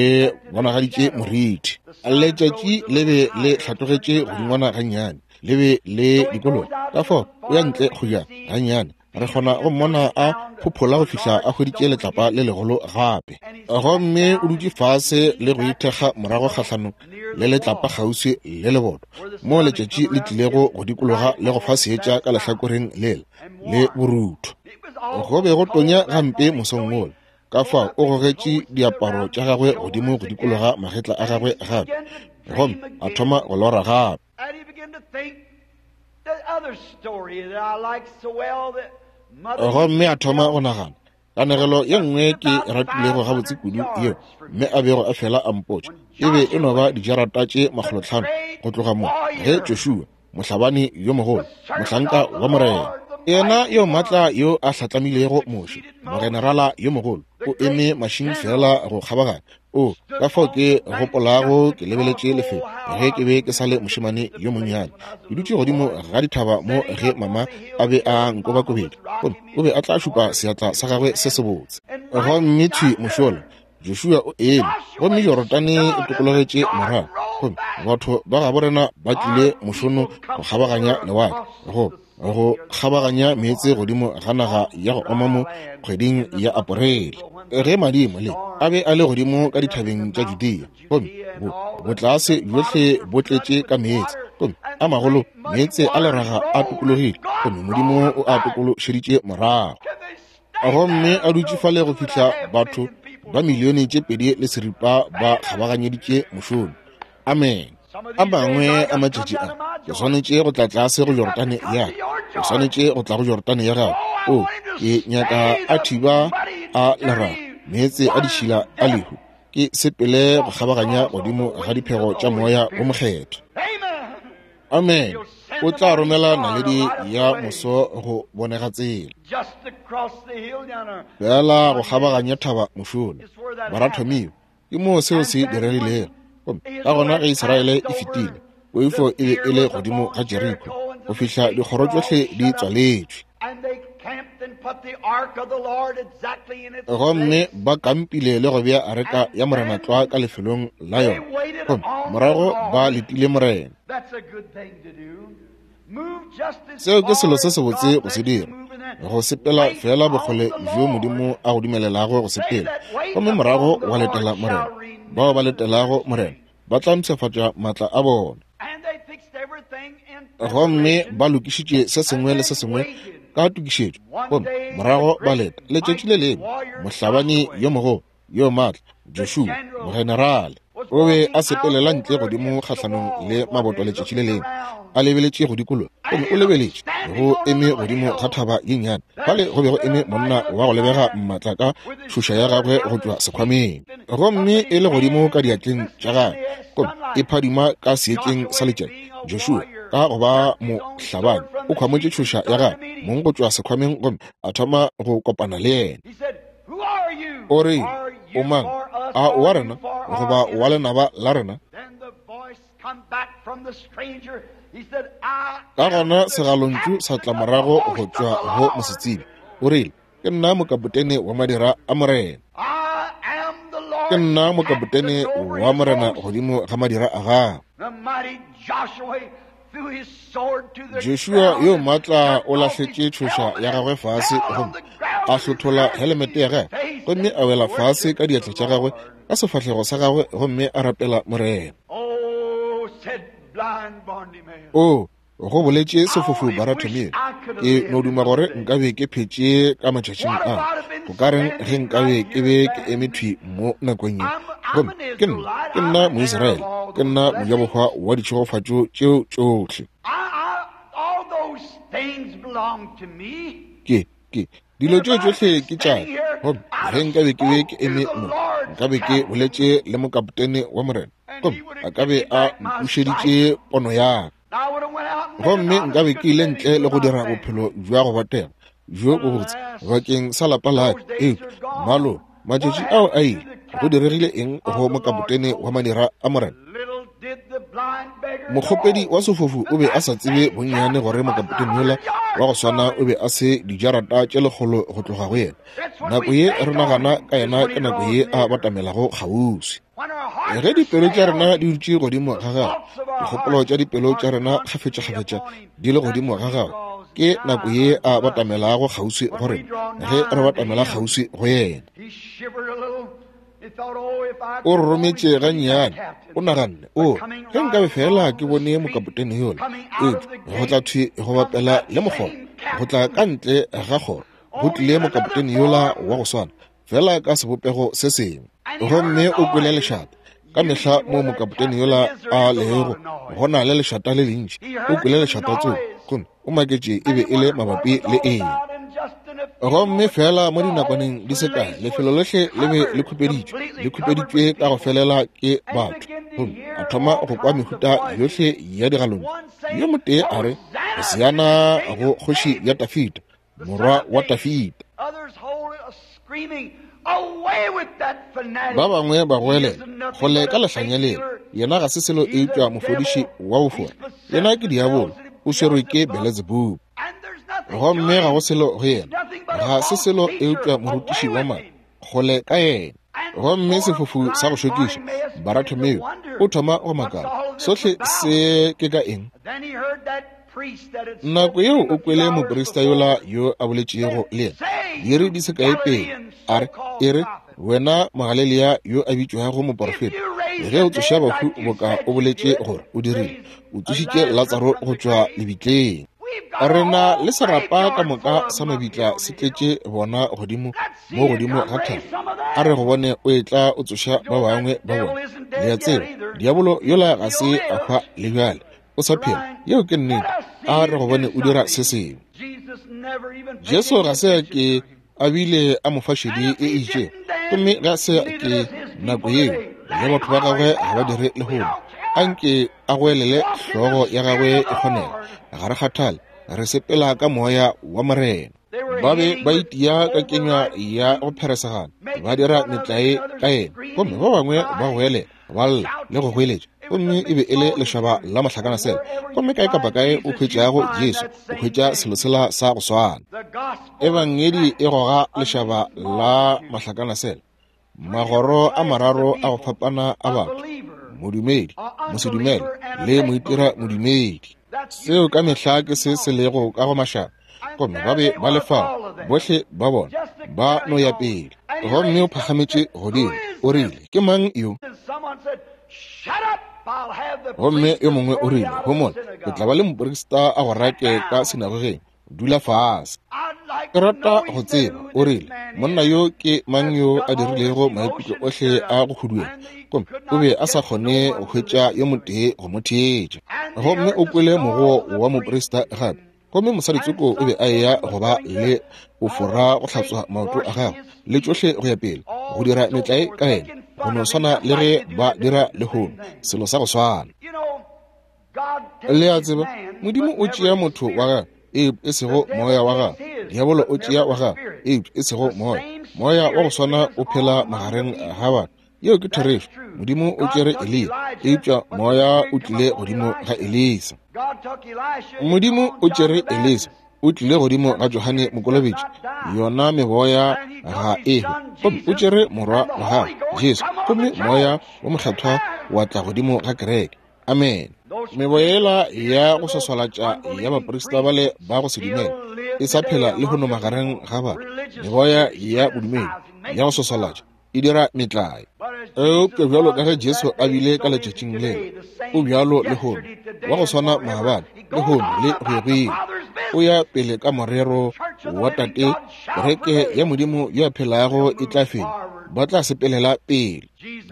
bonagaditše moriti. Letšatši le be le hlatlogetše godingwana gannyane, le be le dikologa. Ka fao o ya ntle kgojana gannyane, re kgona go mmona a phophola go fihla a hweditše letlapa le legolo gape. Gomme o dutše fase le go ithekga morago kgahlanong le letlapa kgauswi le leboto, mo letšatši le tlilego go dikologa le go fa seetša ka lehlakoreng lela le borutho. Go be go tonya gampe mosong wola. Ka fao o gogetše diaparo tša gagwe godimo go dikologa magetla a gagwe gape, gomme a thoma go lora gape. Gomme a thoma go nagana kanegelo ye nngwe ke ratilego gabotse kudu yeo mme a bego a fela a mpotša e be e no ba dijarata tše makgolotlhano go tloga mo ge Joshua mohlabani yo mogolo mohlanka wa morena yena yo maatla yo a hlatlamilego Moshe mogenerala yo mogolo o eme mašing fela go kgabaganya o ka fao ke gopolago ke lebeletše lefelo ge ke be ke sa le mošemane yo monnyane ke dutše godimo ga dithaba mo ge mama a be a nkobakobedi gomme o be a tla šupa seatla sa gagwe se sebotse gomme thwi mošola Joshua o eme gomme Jorodane e tokologetše morago gomme batho ba gabo rena ba tlile mošono go kgabaganya lewatle go go kgabaganya meetse godimo ga naga ya go oma mo kgweding ya Aporele ge madimo le a be a le godimo ka dithabeng tša Judea gomme bo botlase bjohle bo tletše ka meetse gomme a magolo meetse a leraga a tokologile gomme Modimo o a tokološeditše morago gomme a dutše fale go fihla batho ba milione tše pedi le seripa ba kgabaganyeditše mošono. Amen. A mangwe a matšatši a ke swanetše go tla tlase go Jorodane ya ka, ke swanetše go tla go Jorodane ya gago. O ke nyaka a thiba a leraga meetse a ditšhila a lehu ke sepele go kgabaganya godimo ga diphego tša moya wo mokgethwa. Amen. O tla romela naledi ya moso go bonega tsela fela go kgabaganya thaba mošola. Barathomio ke moo seo se diregilego. Gomme ka gona ge Israele e fetile, poifo e be e le godimo ga Jeriko go fihla dikgoro tšohle di tswaletšwe. Gomme ba kampile le go bea areka ya Morena tlwa ka lefelong la yona. Gomme morago ba letile Morena. Seo ke selo se sebotse go se dira, go sepela fela bokgole bjo Modimo a go dumelelago go sepela, gomme morago wa letela Morena. Bao ba letelago Morena ba tla mpshafatša maatla a bona. Gomme ba lokišitše se sengwe le se sengwe ka tokišetšo, gomme morago ba leta letšatši le lengwe mohlabani yo mogolo yo maatla Joshua mogenerale o be a sepelela ntle godimo kgahlanong le maboto letšatši le lengwe, a lebeletše go dikologa, gomme o lebeletše go eme godimo ga thaba ye nnyane fale go be go eme monna wa go lebega maatla ka tšhoša ya gagwe go tšwa sekhwameng, gomme e le godimo ka diatleng tša gagwe, gomme e phadima ka seetšeng sa letšatši. Joshua ka go ba mohlabani o khwamotše tšhoša ya gagwe mong go tšwa sekhwameng gomme a thoma go kopana le yena. O re, o mang? A wa rena goba wa lenaba la rena? Ka gona segalontšu sa tla morago go tšwa go mosetsebje. O rile, ke nna mokapotene wa madira a Morena. Ke nna mokapotene wa Morena godimo ga madira a gago. Joshua yo maatla o lahletše tšhoša ya gagwe fase gomme a hlothola helemete ya gagwe gomme a wela fase ka diatla tša gagwe ka sefahlego sa gagwe gomme a rapela Morena. O go boletše sefofu Baratomeo, ke no duma gore nkabe ke phetše ka matšatšing a. Go ka reng ge nkabe ke be ke eme thwi mo nakong ye? Gomme ke nna, ke nna Moisraele, ke nna mojabohwa wa ditšhegofatšo tšeo tšohle. Ke, ke, dilo tšeo tšohle ke tša ka. Gomme ge nkabe ke be ke eme mo, nkabe ke boletše le mokapotene wa Morena, gomme a ka be a mpušeditše pono ya ka. Gomme nkabe ke ile ntle le go dira bophelo bja go botega bjo bobotse bakeng sa lapa la ka. Eupša malo matšatši ao a ile, go diregile eng go mokapotene wa madira a Morena? Mokgopedi wa sefofu o be a sa tsebe bonnyane gore mokapotene yola wa go swana o be a se dijarata tše lekgolo go tloga go yena. Nako ye re nagana ka yena ke nako ye a batamelago kgauswi. Ge dipelo tša rena di dutše godimo ga gagwe, dikgopolo tša dipelo tša rena kgafetšakgafetša di le godimo ga gagwe, ke nako ye a batamelago kgauswi go rena ge re batamela kgauswi go yena. O rometše gannyane, o naganne, o ge nkabe fela ke bone mokapotene yola. Eupša go tla thwi go bapela le mokgoro, go tla ka ntle ga kgoro, go tlile mokapotene yola wa go swana, fela ka sebopego se sengwe. Gomme o kwele lešata. Ka mehla mo mokapotene yola a lego go na le lešata le lentši. O kwele lešata tseo Gomme o maketše e be e le mabapi le eng. Gomme fela mo dinakwaneng di se kae, lefelo lohle le be le khupeditšwe, le khupeditšwe ka go felela ke batho. Gomme a thoma go kwa mehuta yohle ya digalontšu. Yo motee a re, Hosiana go kgoši ya Dafida, morwa wa Dafida. Ba bangwe ba goelela, kgole ka lehlanya lela, yena ga se selo eupša mofodiši wa bofora. Yena ke diabolo, o swerwe ke Beelzebub. Gomme ga go selo go yena, ga se selo eupša morutiši wa maaka, kgole ka yena. Gomme sefofu sa go šokiša, Bartimeo, o thoma go makala, sohle se ke ka eng? Nako yeo o kwele moprista yola yo a boletšego le yena diiri di se kae pele, a re, e re, wena Mogalilea yo a bitšwago moporofeta, ge o tsoša bahu boka o boletše gore o dirile, o tsošitše Latsaro go tšwa lebitleng. Re na le serapa ka moka sa mabitla se tletše bona godimo mo godimo ga thaba. A re go bone o etla o tsoša ba bangwe ba bona. Le a tseba, diabolo yola ga se a hwa le bjale, o sa phela. Yeo ke nnete. A re go bone o dira se sengwe. Jesu ga se a ke a bile a mo fa šedi e itšego, gomme ga se ke nako yeo le batho ba gagwe ga ba dire lehono. Anke a goelele hlogo ya gagwe e kgonega, ga re kgathale, re sepela ka moya wa Morena. Ba be ba itia ka kenywa ya go pheresegana, ba dira metlae ka yena, gomme ba bangwe ba goelela, ba lla le go goeletša. Gomme e be e le lešaba la mahlakanasela. Gomme kae kapa kae o hwetšago Jesu, o hwetša selo sela sa go swana. Ebangedi e goga lešaba la mahlakanasela, magoro a mararo a go fapana a batho, modumedi, mosedumele le moitira modumedi. Seo ka mehla ke se se lego ka go mašaba. Gomme ba be ba le fao, bohle ba bona ba no ya pele. Gomme o phagametše godimo, o rile, ke mang yo? Gomme yo mongwe o rile, homola, ke tla ba le moprista a go rake ka sinagogeng, dula fase. Ke rata go tseba, o rile, monna yo ke mang yo a dirilego maikutlo ohle a go huduela? Gomme o be a sa kgone go hwetša yo motee go mo theetša. Gomme o kwele mogoo wa moprista gape. Gomme mosaditsoko o be a eya go ba le bofora go hlatswa maoto a gagwe le tšohle go ya pele, go dira metlae ka yena, go no swana le ge ba dira lehono, selo sa go swana. Le a tseba, Modimo o tšea motho wa gagwe, eupša e sego moya wa gagwe. Diabolo o tšea wa gagwe, eupša e sego moya. Moya wa go swana o phela magareng ga batho. Yeo ke therešo. Modimo o tšere Eliya, eupša moya o tlile godimo ga Elisa. Modimo o tšere Elisa, o tlile godimo ga Johane Mokolobetši. Yona meboya ga e hwe. Gomme o tšere morwa wa gagwe Jesu, gomme moya wa mokgethwa wa tla godimo ga kereke. Amen. Meboya yela ya go swaswalatša ya baprista bale ba go se dumele e sa phela le hono magareng ga batho. Meboya ya bodumedi ya go swaswalatša e dira metlae. Eupša bjalo ka ge Jesu a bile ka letšatšing leo, o bjalo lehono, wa go swana maabane, lehono le go ya go ile. O ya pele ka morero wa Tate, kereke ya Modimo yo a phelago e tla fenya, ba tla sepelela pele.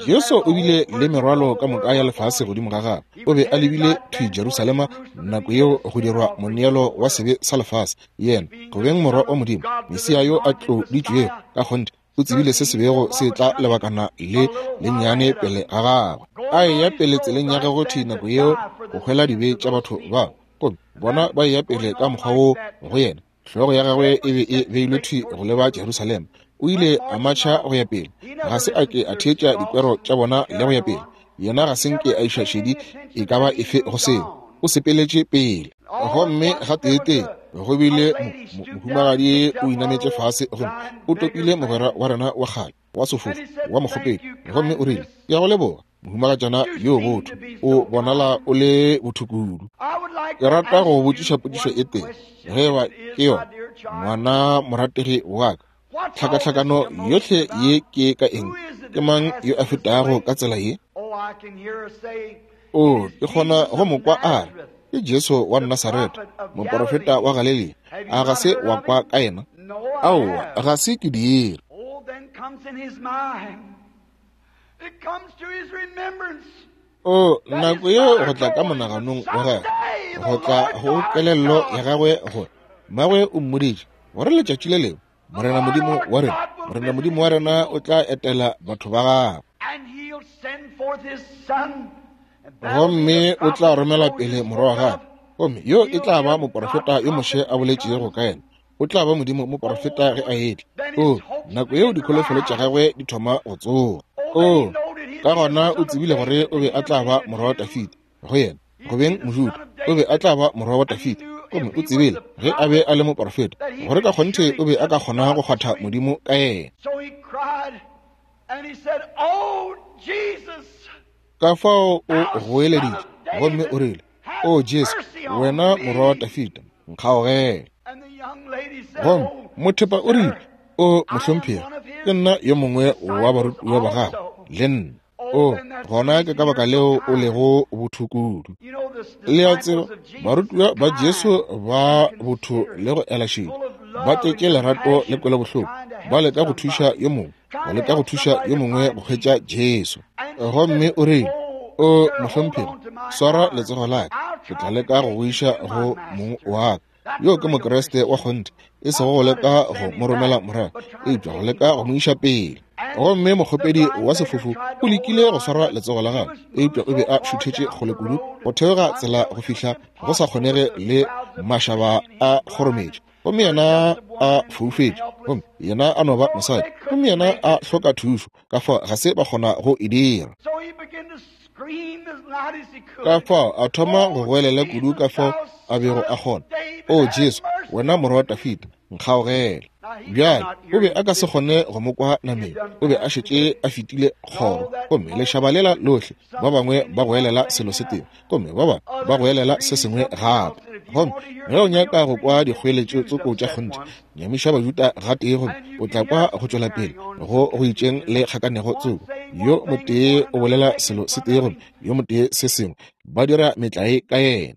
Jesu o bile le merwalo ka moka ya lefase godimo ga gagwe. O be a lebile thwi Jerusalema nako yeo go dirwa moneelo wa sebe sa lefase. Yena, go beng morwa wa Modimo, Mesia yo a tloditšwego ka kgonthe, o tsebile se se bego se tla lebakana le lennyane pele ga gagwe. A eya pele tseleng ya gagwe thwi nako yeo go hwela dibe tša batho ba. Gomme bona ba eya pele ka mokgwa wo go yena. Hlogo ya gagwe e be e beilwe thwi go leba Jerusalema. O ile a matšha go ya pele. Ga se a ke a theetša dikwero tša bona le go ya pele. Yena ga se nke a iša šedi e ka ba efe go seo. O sepeletše pele. Gomme gateetee go bile mohumagadi o inametše fase, gomme o topile mogwera wa rena wa kgale wa sefofu wa mokgopedi, gomme o rile, ke a go leboga, mohumagatšana yo botho, o bonala o le botho kudu. Ke rata go botšiša potšišo e tee, ge eba ke yona, ngwana morategi wa ka, tlhakatlhakano yohle ye ke ka eng? Ke mang yo a fetago ka tsela ye? O, ke kgona go mo kwa a re, ke Jesu wa Nasaretha, moporofeta wa Galilea. A ga se wa kwa ka yena? Aowa, ga se ke dire. O, nako yeo go tla ka monaganong wa gagwe, go tla go kelello ya gagwe gore mmagwe o mmoditše gore letšatši le lengwe Morena Modimo wa rena, Morena Modimo wa rena o tla etela batho ba gagwe. Gomme o tla romela pele morwa wa gagwe, gomme yo e tla ba moporofeta yo Moshe a boletšego ka yena. O tla ba Modimo moporofeta ge a etla. O, nako yeo dikholofelo tša gagwe di thoma go tsoga. O, ka gona o tsebile gore o be a tla ba morwa wa Dafida. Go yena, go beng Mojuda, o be a tla ba morwa wa Dafida. Gomme o tsebile ge a be a le moporofeta gore ka kgonthe o be a ka kgona go kgwatha Modimo ka yena. Ka fao o goeleditše gomme o rile, O Jesu, wena morwa wa Dafida, nkgaogele. Gomme mothepa o rile, O mohlomphegi, ke nna yo mongwe wa barutiwa ba gago le nna. O, gona ke ka baka leo o lego botho kudu. Le a tseba, barutiwa ba Jesu ba botho le go ela šedi, ba tletše lerato le kwelobohloko, ba leka go thuša yo mongwe, go leka go thuša yo mongwe go hwetša Jesu. Gomme o rile, O mohlomphegi, swara letsogo la ka, ke tla leka go go iša go mong wa ka. Yo ke Mokriste wa kgonthe, e sego go leka go mo romela morago, eupša go leka go mo iša pele. Gomme mokgopedi wa sefofu o lekile go swara letsogo la gagwe, eupša o be a šuthetše kgole kudu go theoga tsela go fihla go sa kgonege le mašaba a kgorometše. Gomme yena a foufetše, gomme yena a no ba mosadi, gomme yena a hloka thušo, ka fao ga se ba kgona go e dira. Ka fao a thoma go goelela kudu ka fao a bego a kgona, O Jesu, wena morwa wa Dafida, nkgaogele. Bjale o be a ka se kgone go mo kwa nameng, o be a šetše a fetile kgoro, gomme lešaba lela lohle, ba bangwe ba goelela selo se tee, gomme ba bangwe ba goelela se sengwe gape. Gomme ge o nyaka go kwa dikgoeletšo tsoko tša kgonthe, nyamiša Bajuda gatee, gomme o tla kwa go tšwela pele go go itšeng le kgakanego tsoko. Yo motee o bolela selo se tee, gomme yo motee se sengwe, ba dira metlae ka yena.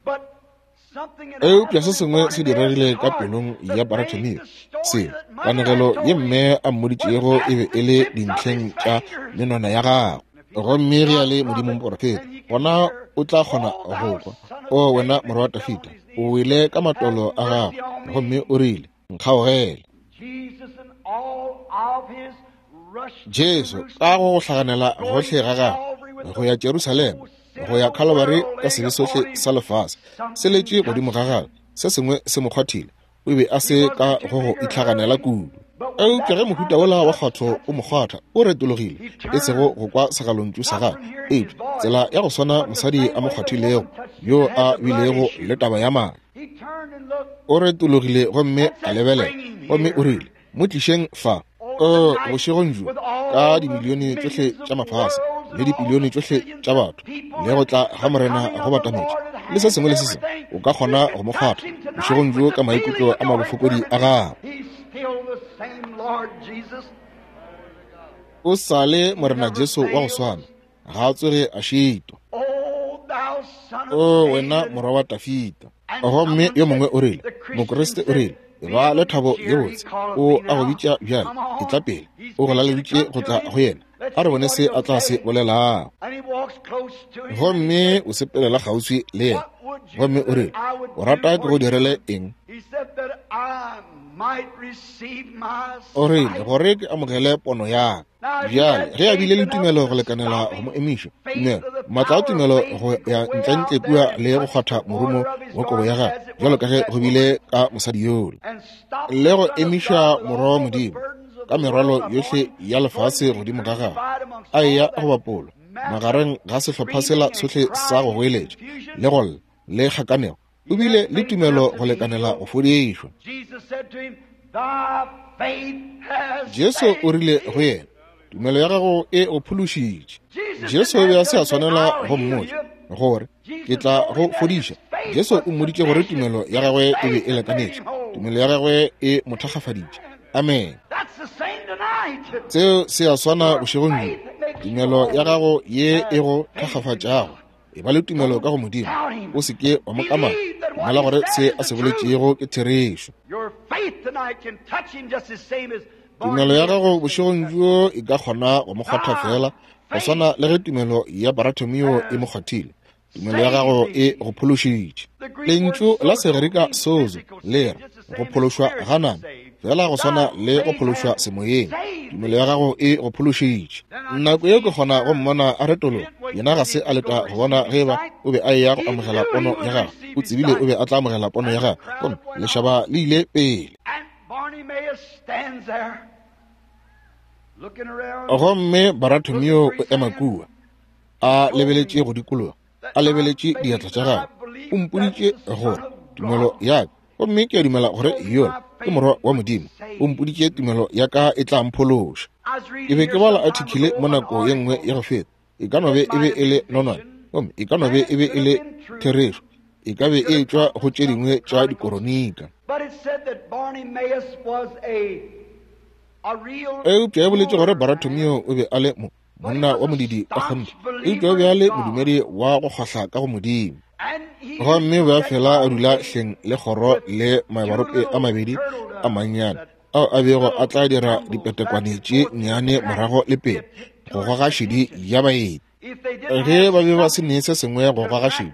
Eupša se sengwe se diregile ka pelong ya Bartimeo. Se kanegelo ye mme a mmoditšego e be e le dintlheng tša menwana ya gagwe. Gomme ge a le Modimo moporofeta, gona o tla kgona go kwa, O wena morwa wa Dafida, o wele ka matolo a gago, gomme o rile, nkgaogele. Jesu ka go go hlaganela gohle ga gagwe go ya Jerusalema, go ya Calvary ka sebe sohle sa lefase se letše godimo ga gagwe, se sengwe se mo kgwathile, o be a se ka go go itlhaganela kudu. Eupša ge mohuta wola wa kgwatho o mo kgwatha, o retologile, e sego go kwa segalontšu sa gagwe, eupša tsela ya go swana mosadi a mo kgwathilego, yo a bilego le taba ya madi. O retologile gomme a lebelela, gomme o rile, mo tlišeng fa. O bošegong bjo, ka dimilione tšohle tša mafase le dipilione tšohle tša batho, le go tla ga Morena go batametše, le se sengwe le se sengwe, o ka kgona go mo kgwatha bošegong bjo ka maikutlo a mabofokodi a gago. O sa le Morena Jesu wa go swana, ga a tsoge a šitwa. O wena morwa wa Dafida. Gomme yo mongwe o rile, Mokriste o rile, ba le thabo ye botse, o a go bitša bjale, e tla pele, o go laleditše go tla go yena, a re bone se a tla se bolelago. Gomme o sepelela kgauswi le yena, gomme o rile, o rata ke go direle eng? O rile, gore ke amogele pono ya ka. Bjale ge a bile le tumelo go lekanela go mo emiša, tumelo, maatla a tumelo go ya ntlentle kua le go kgwatha morumo wa kobo ya gagwe, bjalo ka ge go bile ka mosadi yola, le go emiša morwa wa Modimo ka merwalo yohle ya lefase godimo ga gagwe, a eya go bapolwa magareng ga sehlopha sela sohle sa go goeletša le go lla le kgakanego, o bile le tumelo go lekanela go fodišwa. Jesu o rile go yena, tumelo ya gago e go phološitše. Jesu o be a se a swanela go mmotša gore ke tla go fodiša. Jesu o mmoditše gore tumelo ya gagwe e be e lekanetše, tumelo ya gagwe e mo thakgafaditše. Amen. Seo se a swana bošegong bjo. Tumelo ya gago ye e go thakgafatšago, e ba le tumelo ka go Modimo, o se ke wa mo kamaka, dumela gore se a se boletšego ke therešo. Tumelo ya gago bošegong bjo e ka kgona go mo kgwatha fela go swana le ge tumelo ya Bartimeo e mo kgwathile. Tumelo ya gago e go phološitše. Lentšu la Segerika sozo le re go phološwa ga nama, fela go swana le go phološwa semoyeng. Tumelo ya gago e go phološitše. Nako ye ke kgona go mmona a retologa. Yena ga se a leta go bona ge eba o be a eya go amogela pono ya gagwe. O tsebile o be a tla amogela pono ya gagwe, gomme lešaba le ile pele. Gomme Baratomio o ema kua, a lebeletše go dikologa, a lebeletše diatla tša gagwe. O mpoditše gore tumelo ya ka, gomme ke a dumela gore yola ke morwa wa Modimo. O mpoditše tumelo ya ka e tla mphološa. Ke be ke bala article mo nako ye nngwe ya go feta. E ka no be e be e le nonwane, gomme e ka no be e be e le therešo. E ka be e tšwa go tše dingwe tša dikoronika. Eupša e boletše gore Baratomio o be a le mo monna wa modidi ka kgonthe, eupša o be a le modumedi wa go kgahla ka go Modimo. Gomme o be a fela a dula hleng le kgoro le mabarope a mabedi a mannyane ao a bego a tla dira dipetekwane tše nnyane morago le pele go goga šedi ya baeti. Ge ba be ba se ne se sengwe go goga šedi,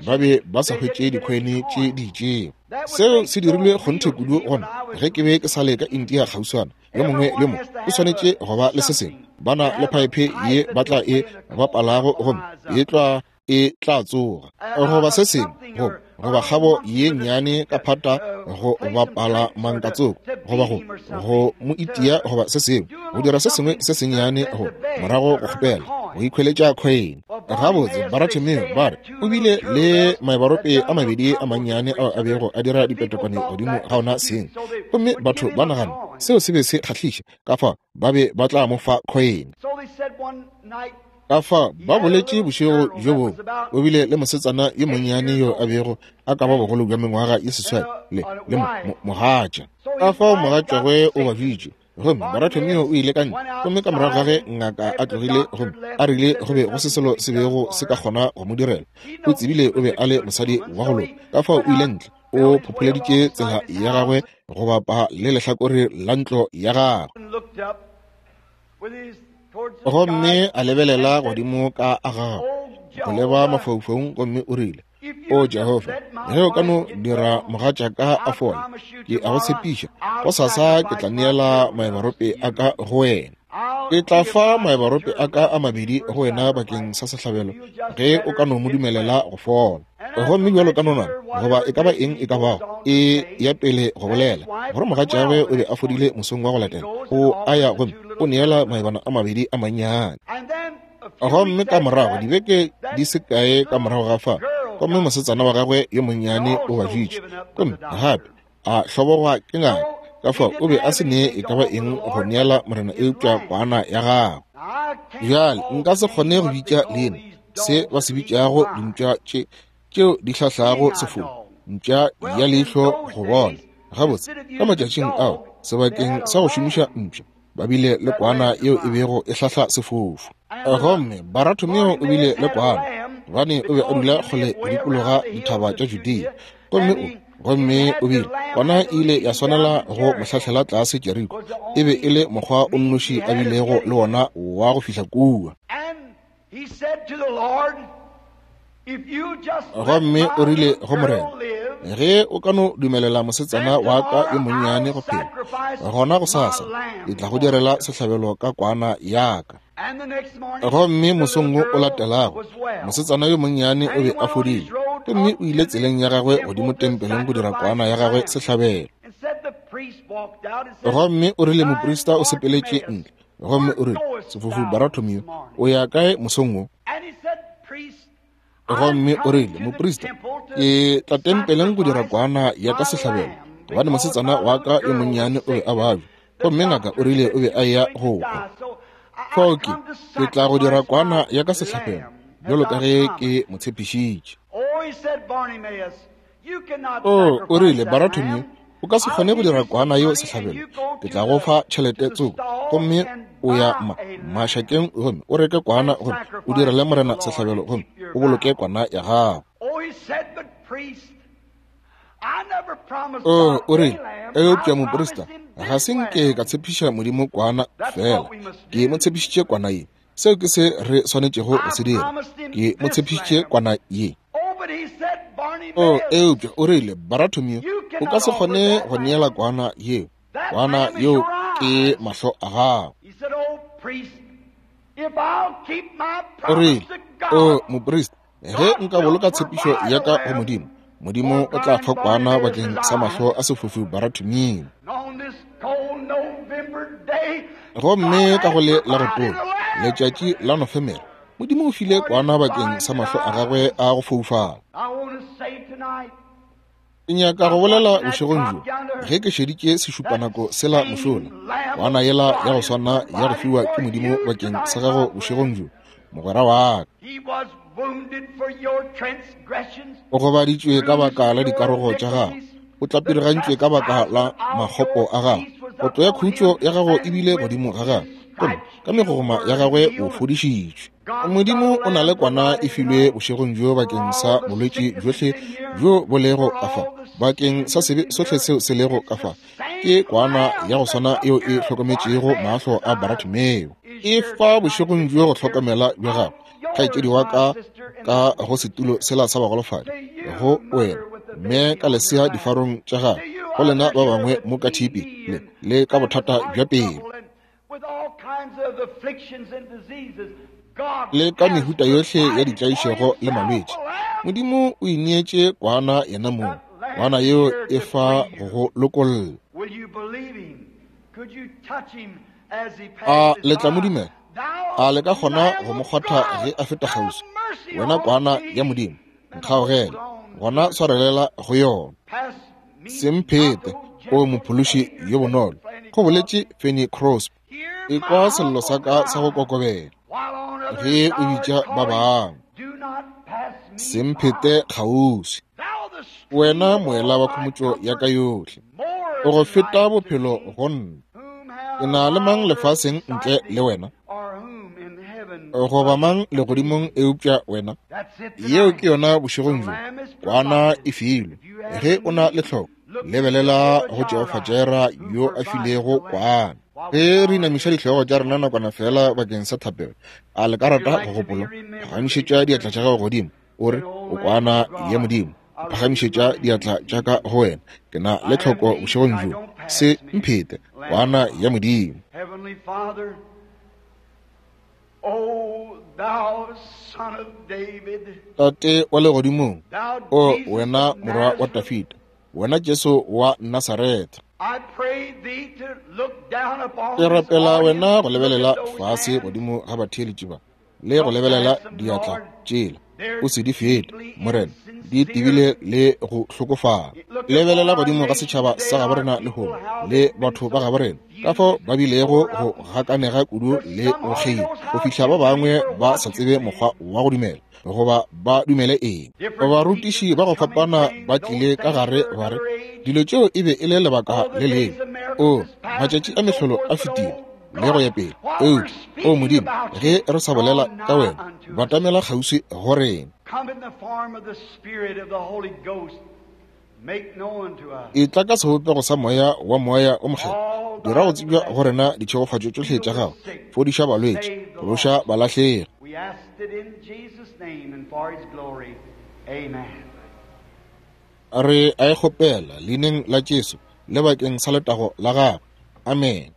ba be ba sa hwetše dikhoene tše di itšego. Seo se dirilwe kgonthe kudu gona ge ke be ke sa le ka India kgauswana. Yo mongwe le mongwe o swanetše go ba le se sengwe. Ba na le phaephe ye ba tla e bapalago gomme e tla e tla tsoga, goba se sengwe, goba goba kgabo ye nnyane ka phata go bapala mankatsoko, goba go go mo itia, goba se sengwe, go dira se sengwe se sennyane go morago go kgopela go ikhweletša coin. Gabotse, Baratomeo ba re o bile le maebarope a mabedi a mannyane ao a bego a dira dipetekwane godimo ga ona seng, gomme batho ba nagana seo se be se kgahliša, ka fao ba be ba tla mo fa coin. Ka fao ba boletše bošego bjo bongwe o bile le mosetsana yo monnyane yo a bego a ka ba bogolo bja mengwaga ye seswai le le mogatša. Ka fao mogatšagwe o babitše, gomme Baratomeo o ile ka ntle, gomme ka morago ga ge ngaka a tlogile gomme a rile go be go se selo se bego se ka kgona go mo direla, o tsebile o be a le mosadi wa go loka. Ka fao o ile ntle, o phopholeditše tsela ya gagwe go bapa le lehlakore la ntlo ya gagwe, gomme a lebelela godimo ka a gagwe go leba mafaufaung, gomme o rile, O Jehofa, ge o ka no dira mogatšaka a fole, ke a go tshepiša gosasa ke tla neela maebarope a ka go wena. Ke tla fa maebarope a ka a mabedi go wena bakeng sa sehlabelo ge o ka no mo dumelela go fola. Gomme bjalo ka nonwane, goba e ka ba eng e ka bago, e ya pele go bolela gore mogatšagwe o be a fodile mosong wa go latela, o a ya gomme o neela maebana a mabedi a mannyane. Gomme ka morago dibeke di se kae ka morago ga fa, gomme mosetsana wa gagwe yo monnyane o babjitše, gomme gape a hlobogwa ke ngaka. Ka fao o be a se ne e ka ba eng go neela Morena eupša kwana ya gagwe. Bjale nka se kgone go bitša leina se ba se bitšago dimpša tše tšeo di hlahlago sefofu, mpša ya leihlo go bona. Gabotse, ka matšatšing ao sebakeng sa go šomiša mpša, ba bile le kwana yeo e bego e hlahla sefofu. Gomme Baratomeo o bile le kwana, gobane o be a dula kgole go dikologa dithaba tša Judea. Gomme o gomme o bile kwana e ile ya swanela go mo hlahlela tlase Jeriko. E be e le mokgwa o nnoši a bilego le wona wa go fihla kua. Gomme o rile go Morena, ge o ka no dumelela mosetsana wa ka yo monnyane go phela, gona gosasa ke tla go direla sehlabelo ka kwana ya ka. Gomme mosong wo o latelago, mosetsana yo monnyane o be a fodile, gomme o ile tseleng ya gagwe godimo tempeleng go dira kwana ya gagwe sehlabelo. Gomme o rile moprista o sepeletše ntle, gomme o rile, sefofu Baratomeo, o ya kae mosong wo? Gomme o rile, moprista, ke tla tempeleng go dira kwana ya ka sehlabelo, gobane mosetsana wa ka yo monnyane o be a babja, gomme ngaka o rile o be a ya go hwa. Fao ke, ke tla go dira kwana ya ka sehlabelo, bjalo ka ge ke mo tshepišitše. O, o rile, Baratomeo, o ka se kgone go dira kwana yeo sehlabelo. Ke tla go fa tšhelete tsoko, gomme o ya ma mašakeng gomme o reke kwana gomme o direle Morena sehlabelo gomme o boloke kwana ya gago. O, o rile, eupša moprista, ga se nke ka tshepiša Modimo kwana fela, ke mo tshepišitše kwana ye. Seo ke se re swanetšego go se dira. Ke mo tshepišitše kwana ye. O, eupša o rile, Baratomio, o ka se kgone go neela kwana yeo. Kwana yeo ke mahlo a gago. O rile, o moprista, ge nka boloka tshepišo ya ka go Modimo, Modimo o tla fa kwana bakeng sa mahlo a sefofu Baratomio. Gomme ka go le la go tola, letšatši la Nofemere, Modimo o file kwana bakeng sa mahlo a gagwe a go foufala. Ke nyaka go bolela bošegong bjo, ge ke šeditše sešupanako sela mošola, kwana yela ya go swana ya go fiwa ke Modimo bakeng sa gago bošegong bjo, mogwera wa ka. O gobaditšwe ka baka la dikarogo tša gago, o tlapirigantšwe ka baka la makgopo a gago, kotlo ya khutšo ya gago e bile godimo ga gago, gomme ka megogoma ya gagwe o fodišitšwe. Modimo o na le kwana e filwe bošegong bjo bakeng sa bolwetši bjohle bjo bo lego ka fa, bakeng sa sebe sohle seo se lego ka fa. Ke kwana ya go swana yeo e hlokometšego mahlo a Baratimeo. E fa bošegong bjo go hlokomela bja gago, kgaetšedi wa ka ka go setulo sela sa bagolofadi, go wena mme ka lesea difarong tša gago, go lena ba bangwe mo ka thipi le le ka bothata bja pelo, le ka mehuta yohle ya ditlaišego le malwetši. Modimo o ineetše kwana yena mong, kwana yeo e fa go go lokolla. A le tla mo dumela? A le ka kgona go mo kgwatha ge a feta kgauswi? Wena kwana ya Modimo, nkgaogele, gona swarelela go yona. Se mphete, o mophološi yo bonolo, go boletše Fanny Crosby. Ekwa sello sa ka sa go kokobela ge o bitša ba bangwe. Se mphete kgauswi, wena moela wa khomotšo ya ka yohle, o go feta bophelo go nna. Ke na le mang lefaseng ntle le wena, goba mang legodimong eupša wena? Yeo ke yona bošegong bjo, kwana e filwe. Ge o na le tlhoko, lebelela go Jehofa Jireh yo a filego kwana. Ge re inamiša dihlogo tša rena nakwana fela bakeng sa thapelo, a le ka rata go gopola? Phagamišetša diatla tša gago godimo, o re, o kwana ya Modimo, phagamišetša diatla tša ka go wena. Ke na le tlhoko bošegong bjo, se mphete, kwana ya Modimo. Tate wa legodimong, o wena morwa wa Dafida, wena Jesu wa Nasaretha, ke rapela wena go lebelela fase godimo ga batheeletši ba, le go lebelela diatla tšela, o se di fete, Morena, di tebile le go hlokofala. Lebelela godimo ga setšhaba sa gabo rena lehono, le batho ba gabo rena, ka fao ba bilego go gakanega kudu le go kgeila, go fihla ba bangwe ba sa tsebe mokgwa wa go dumela, goba ba dumele eng. Barutiši ba go fapana ba tlile ka gare ba re dilo tšeo e be e le lebaka le lengwe. O, matšatši a mehlolo a fetile, le go ya pele. Eupša, o Modimo, ge re sa bolela ka wena, batamela kgauswi go rena. E tla ka sebopego sa moya wa moya o mokgethwa, dira go tsebja go rena ditšhegofatšo tšohle tša gago, fodiša balwetši, phološa balahlegi. Re a e kgopela leineng la Jesu le bakeng sa letago la gagwe. Amen.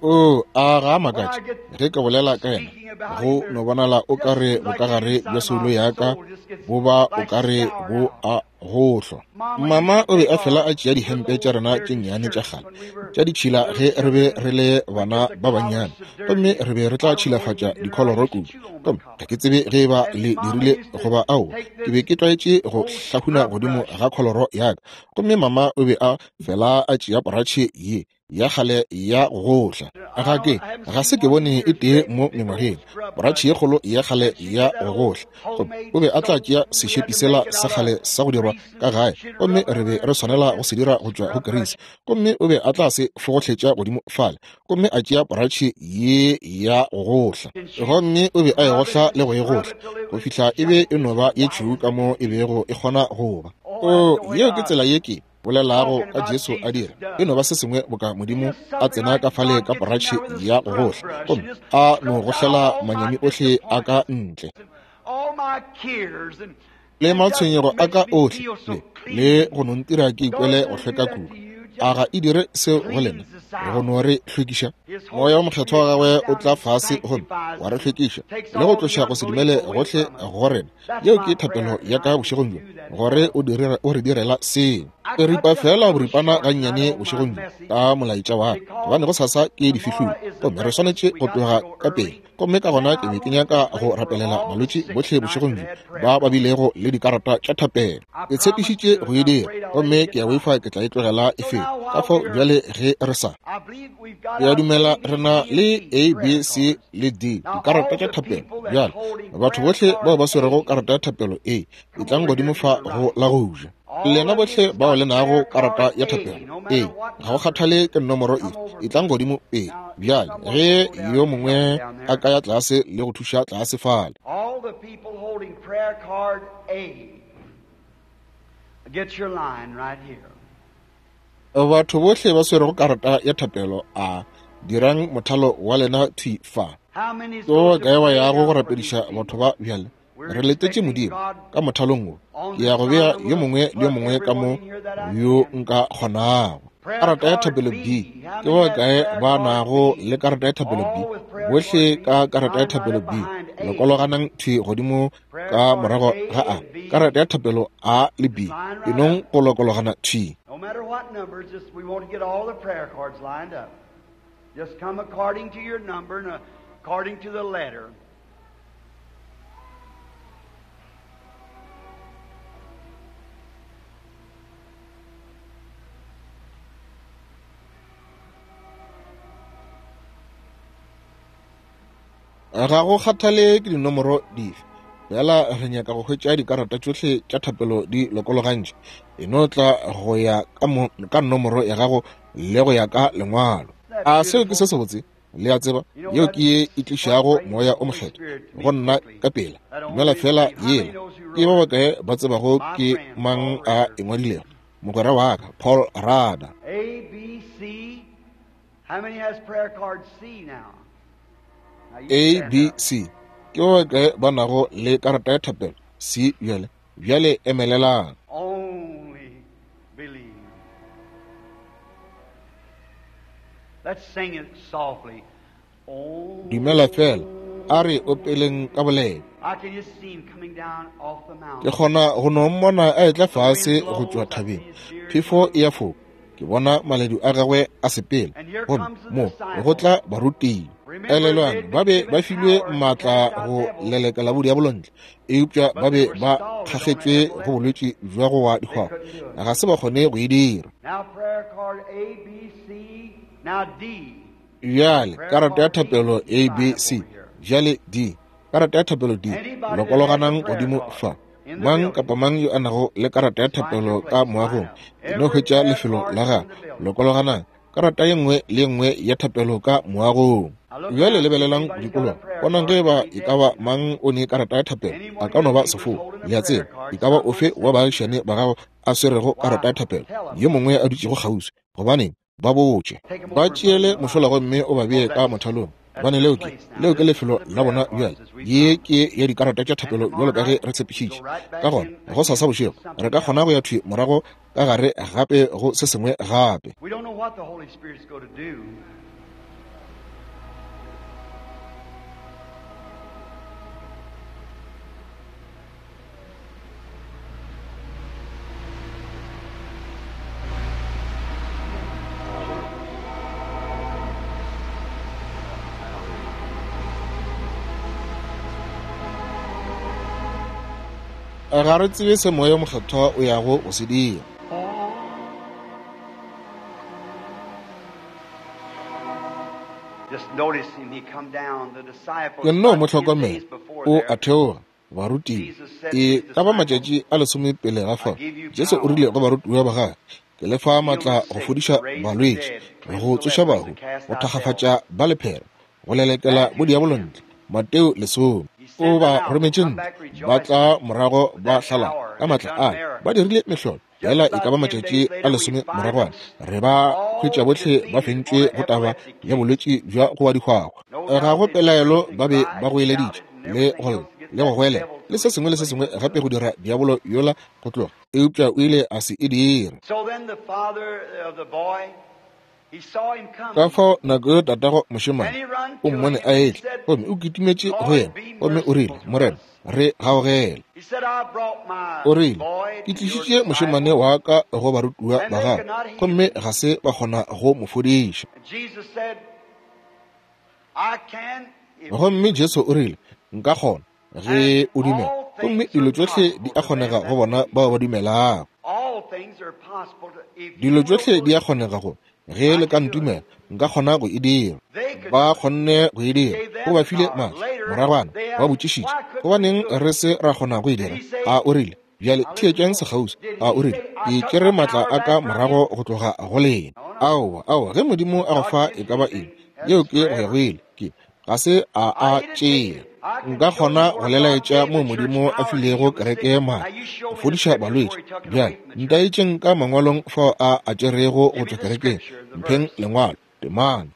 O, a ga a makatše ge ke bolela ka yena, go no bonala o ka re bokagare bja soulo ya ka bo ba o ka re bo a gohlwa. Mama o be a fela a tšea dihempe tša rena tše nnyane tša kgale tša ditšhila ge re be re le bana ba bannyane, gomme re be re tla tšhilafatša dikholoro kudu. Gomme ga ke tsebe ge e ba le dirile goba ao, ke be ke tlwaetše go hlahuna godimo ga kholoro ya ka, gomme mama o be a fela a tšea poratšhe ye ya kgale ya go gohla. Ga ke ga se ke bone e tee mo mengwageng, poratšhe ye kgolo ya kgale ya go gohla. Gomme o be a tla tšea sešepi sela sa kgale sa go dirwa ka gae, gomme re be re swanela go se dira go tšwa go kerisi, gomme o be a tla se fogohletša godimo fale, gomme a tšea poratšhe ye ya go gohla, gomme o be a e gohla le go e gohla go fihla e be e no ba ye tšhweu ka mo e bego e kgona go ba. O, yeo ke tsela ye ke bolelago ka Jesu a dira. E no ba se sengwe boka Modimo a tsena ka fale ka poratšhe ya go gohla, gomme a no gohlela manyami ohle a ka ntle le matshwenyego a ka ohle, le, le go no ntira ke ikwele go hlweka kudu. A ga e dire seo go lena, go no re hlwekiša? Moya wa Mokgethwa wa gagwe o tla fase gomme wa re hlwekiša le go tloša go se dumele gohle go rena. Yeo ke thapelo ya ka bošegong bjo, gore o dire, o re direla seo. Ke ripa fela boripana gannyane bošegong bjo ka molaetša wa ka, gobane go sasa ke difihlolo, gomme re swanetše go tloga ka pele. Gomme ka gona ke be ke nyaka go rapelela balwetši bohle bošegong bjo ba ba bilego le dikarata tša thapelo. Ke tshepišitše go e dira, gomme ke a boifa ke tla e tlogela e fela. Ka fao bjale ge re sa, ke a dumela re na le A, B, C le D dikarata tša thapelo. Bjale batho bohle bao ba swerego karata ya thapelo A, e tlang godimo fa go la go ja. Lena bohle bao le nago karata ya thapelo A, ga go kgathale ke nomoro efe, e tlang godimo pele. Bjale ge yo mongwe a ka ya tlase le go thuša tlase fale. All the people holding prayer card A, get your line right here. Batho bohle ba swerego karata ya thapelo A, dirang mothalo wa lena thwi fa. How many Ke ba bakae ba yago go rapediša batho ba bjale? Re letetše Modimo ka mothalong wo. Ke ya go bea yo mongwe le yo mongwe ka mo yo nka kgonago. Karata ya thapelo B, ke ba bakae ba nago le karata ya thapelo B? Bohle ka karata ya thapelo B, lokologanang thwi godimo ka morago ga A. Karata ya thapelo A le B, e nong go lokologana thwi. No matter what numbers, just we want to get all the prayer cards lined up. Just come according to your number and according to the letter. Ga go kgathale ke dinomoro dife, fela re nyaka go hwetša dikarata tšohle tša thapelo di lokologantše. E no tla go ya ka mo, ka nomoro ya gago le go ya ka lengwalo. A seo ke se sebotse? Le a tseba, yeo ke ye e tlišago Moya o Mokgethwa go nna ka pela. Dumela fela yela. Ke ba bakae ba tsebago ke mang a e ngwadilego? Mogwera wa ka, Paul Rada. A, B, C. How many has prayer card C now? Now you A, stand B, up. C. Ke ba bakae ba nago le karata ya thapelo C bjale? Bjale emelelang. Only believe. Let's sing it softly. Oh, Dumela fela. A re opeleng ka boleta. I can just see him coming down off the Ke mountain. kgona go no mmona a etla fase go tšwa thabeng. Phefo e ya foka. Ke bona maledu a gagwe a sepela. Gomme mo go tla barutiwa. Elelwang, ba be ba filwe maatla go lelekela bodiabolo ntle, eupša ba be ba kgakgetšwe go bolwetši bja go wa dihwahwa. Ga se ba kgone go e dira. Now prayer card A, B, C, now D. Bjale karata ya thapelo A, B, C, bjale D. Karata ya thapelo D, lokologanang godimo fa. Mang kapa mang yo a nago le karata ya thapelo ka moagong, e no hwetša lefelo la gagwe. Lokologanang karata ye nngwe le ye nngwe ya thapelo ka moagong. Bjale lebelelang go dikologa, bonang ge ba e ka ba mang o ne karata ya thapelo. A ka no ba sefou, le a tseba, e ka ba ofe wa baagišane ba gago a swerego karata ya thapelo, yo mongwe a dutšego kgauswi. Gobaneng, ba botše, ba tšeele mošola gomme o ba bee ka mothalong. Gobane leo ke, leo ke lefelo la bona bjale. Ye ke ya dikarata tša thapelo bjalo ka ge re tshepišitše. Ka gona go sasa bošego re ka kgona go ya thwi morago ka gare gape go se sengwe gape. We don't know what the Holy Spirit's going to do. Ga re tsebe se Moya Mokgethwa o yago go se dira. Just notice him, he come down, the disciples Ke nno mo about ten hlokomela, days before o there, a theoga, barutiwa. E ka ba matšatši a lesome pele ga fao, Jesu o rile go barutiwa ba gagwe, ke le fa maatla go fodiša balwetši, go tsoša bahu, go thakgafatša ba lephera, go lelekela bodiabolo ntle. Mateo lesome. O ba rometše ntle, ba tla morago ba hlala ka maatla a, ba dirile mehlolo. Fela e ka ba matšatši a lesome moragwana, re ba hwetša bohle ba fentšwe go taba ya bolwetši bja go wa dihwahwa. Ga go pelaelo ba be ba goeleditše le go lla le go goelela le se sengwe le se sengwe gape go dira diabolo yola go tloga, eupša o ile a se e dire. Ka fao nako yo tatago mošemane o mmone a etla, gomme o kitimetše go yena, gomme o rile, Morena, re gaogele. O rile, ke tlišitše mošemane wa ka go barutiwa ba gago, gomme ga se ba kgona go mo fodiša. Gomme Jesu o rile, nka kgona ge o dumela, gomme dilo tšohle di a kgonega go bona bao ba dumelago. Dilo tšohle di a kgonega go ge le ka ntumela, nka kgona go e dira. Ba kgonne go e dira, o ba file maatla. Moragwana ba botšišitše, gobaneng re se ra kgona go e dira? A o rile, bjale theetšang sekgauswi. A o rile, ke tšere maatla a ka morago go tloga go lena. Aowa, aowa, ge Modimo a go fa e ka ba eng, yeo ke go ya go ile, ke ga se a a tšea. Nka kgona go lelaetša moo Modimo a filego kereke maatla go fodiša balwetši. Bjale ntaetšeng ka mangwalong fao a a tšerego go tšwa kerekeng. Mpheng lengwalo, temana.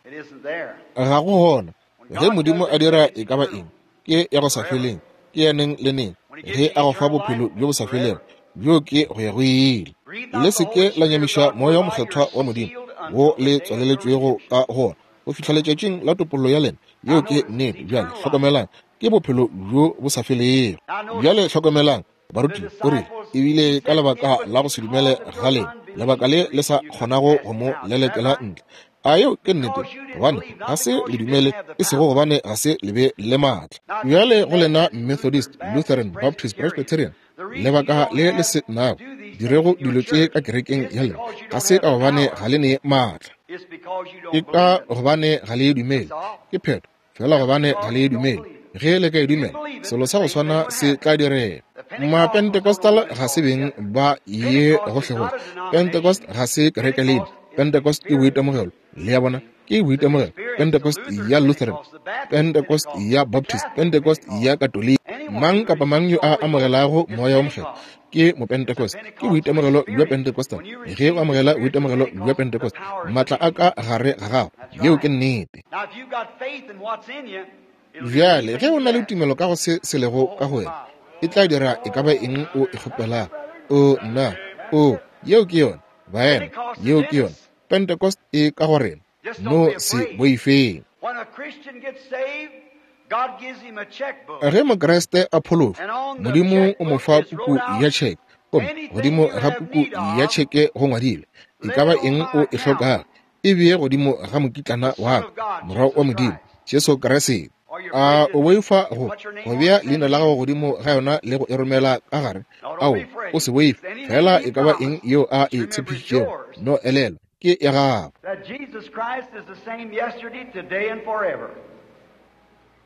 Ga go gona. Ge Modimo a dira e ka ba eng, ke ya go sa feleng, ke ya neng le neng. Ge a go fa bophelo bjo bo sa felego, bjo ke go ya go ile. Le se ke la nyamiša moya o mokgethwa wa Modimo wo le tswaleletšwego ka gona go fihla letšatšing la topollo ya lena. Yeo ke nnete. Bjale hlokomelang, ke bophelo bjo bo sa felego. Bjale hlokomelang, baruti, o rile, ebile ka lebaka la go se dumele ga lena, lebaka le le sa kgonago go mo lelekela ntle. A yeo ke nnete, gobane ga se le dumele, e sego gobane ga se le be le maatla. Bjale go lena Methodist, Lutheran, Baptist, Presbyterian, lebaka le le se nago dirego dilo tše ka kerekeng ya lena, ga se ka gobane ga le ne maatla, ke ka gobane ga le e dumele. Ke phetho fela gobane ga le e dumele. Ge le ka e dumela, selo sa go swana se tla direga. Ma-Pentecostal ga se beng ba ye gohlegohle. Pentecost ga se kereke leina. Pentecost ke boitemogelo. Le ya bona, ke boitemogelo. Pentecost ya Lutheran, Pentecost ya Baptist, Pentecost ya Katoliki. Mang kapa mang yo a amogelago moya o mokgethwa ke mopentecost. Ke boitemogelo bja Pentecostal. Ge o amogela boitemogelo bja Pentecost, maatla a ka gare ga gago. Yeo ke nnete. Bjale ge o na le tumelo ka go se se lego ka go wena, e tla dira e ka ba eng o e kgopelago. O nna, o, yeo ke yona, baena, yeo ke yona. Pentecost e ka go rena. No se boifeng. Ge Mokriste a phološwa, Modimo o mo fa puku ya tšheke, gomme godimo ga puku ya tšheke go ngwadilwe e ka ba eng o e hlokago, e bee godimo ga mokitlana wa ka, Morwa wa Modimo, Jesu Kriste. A o boifa go go bea leina la gago godimo ga yona le go e romela ka gare? Ao, o se boife. Fela e ka ba eng yeo a e tshepišitšego, no elelwa, ke ya gago.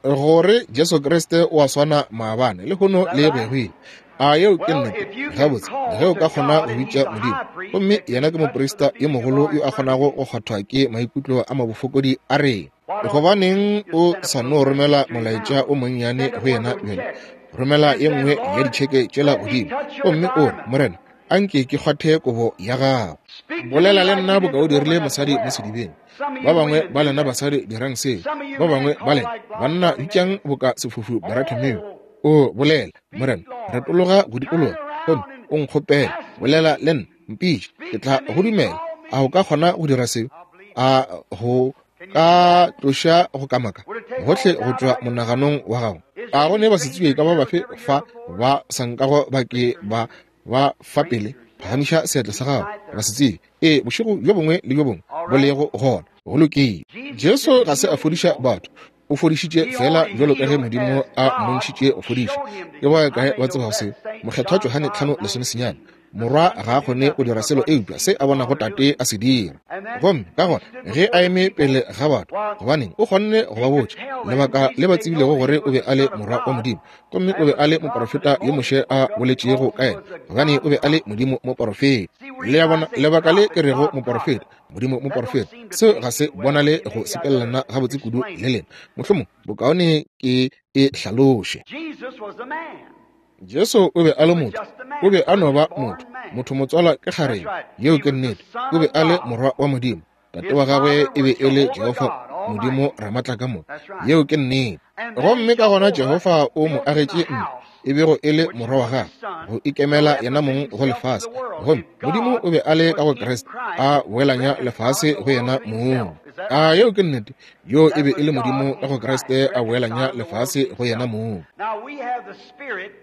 Gore Jesu Kriste o a swana maabane, lehono le go ya go ile. A yeo ke nnete? Gabotse, ge o ka kgona go bitša Modimo, gomme yena ke moprista yo mogolo yo a kgonago go kgwathwa ke maikutlo a mabofokodi a rena, gobaneng o sa no romela molaetša o monnyane go yena bjale? Romela ye nngwe ya ditšheke tšela godimo, gomme o re, Morena, anke ke kgwathe kobo ya gago. Bolela le nna boka o dirile mosadi mo sedibeng. Ba bangwe ba lena basadi dirang seo. Ba bangwe ba lena banna bitšang boka sefofu Bartimeo. O bolela, Morena, retologa go dikologa, gomme o nkgopele. Bolela le nna, mpitše, ke tla go dumela. A o ka kgona go dira seo? A go ka tloša go kamaka gohle go tšwa monaganong wa gago? A go ne basetsebje ka ba bafe fa ba sa nkago ba ke ba ba fa pele? Phagamiša seatla sa gago, basetsebje. Ee, bošego bjo bongwe le bjo bongwe bo lego gona. Go lokile. Jesu ga se a fodiša batho, o fodišitše fela bjalo ka ge Modimo a mmontšhitše go fodiša. Ke ba kae ba tsebago seo? Mokgethwa Johane tlhano lesomesenyane. Morwa ga a kgone go dira selo eupša se a bonago Tate a se dira. Gomme ka gona ge a eme pele ga batho, gobaneng o kgonne go ba botša lebaka le ba tsebilego gore o be a le Morwa wa Modimo, gomme o be a le moporofeta yo Moshe a boletšego ka yena, gobane o be a le Modimo moporofeta. Le a bona lebaka le ke rego moporofeta, Modimo moporofeta, seo ga se bonale go sepelelana gabotse kudu le lena. Mohlomong bokaone ke e hlaloše. Jesu o be a le motho, o be a no ba motho, motho motswala ke kgarebe, yeo ke nnete. O be a le Morwa wa Modimo, Tate wa gagwe e be e le Jehofa Modimo Ramatlakamoka, yeo ke nnete. Gomme ka gona Jehofa o mo agetše ntlo, e bego e le morwa wa gagwe, go ikemela yena mong go lefase. Gomme Modimo o be a le ka go Kriste, a boelanya lefase go yena mong. A yeo ke nnete? Yo e be e le Modimo ka go Kriste, a boelanya lefase go yena mong.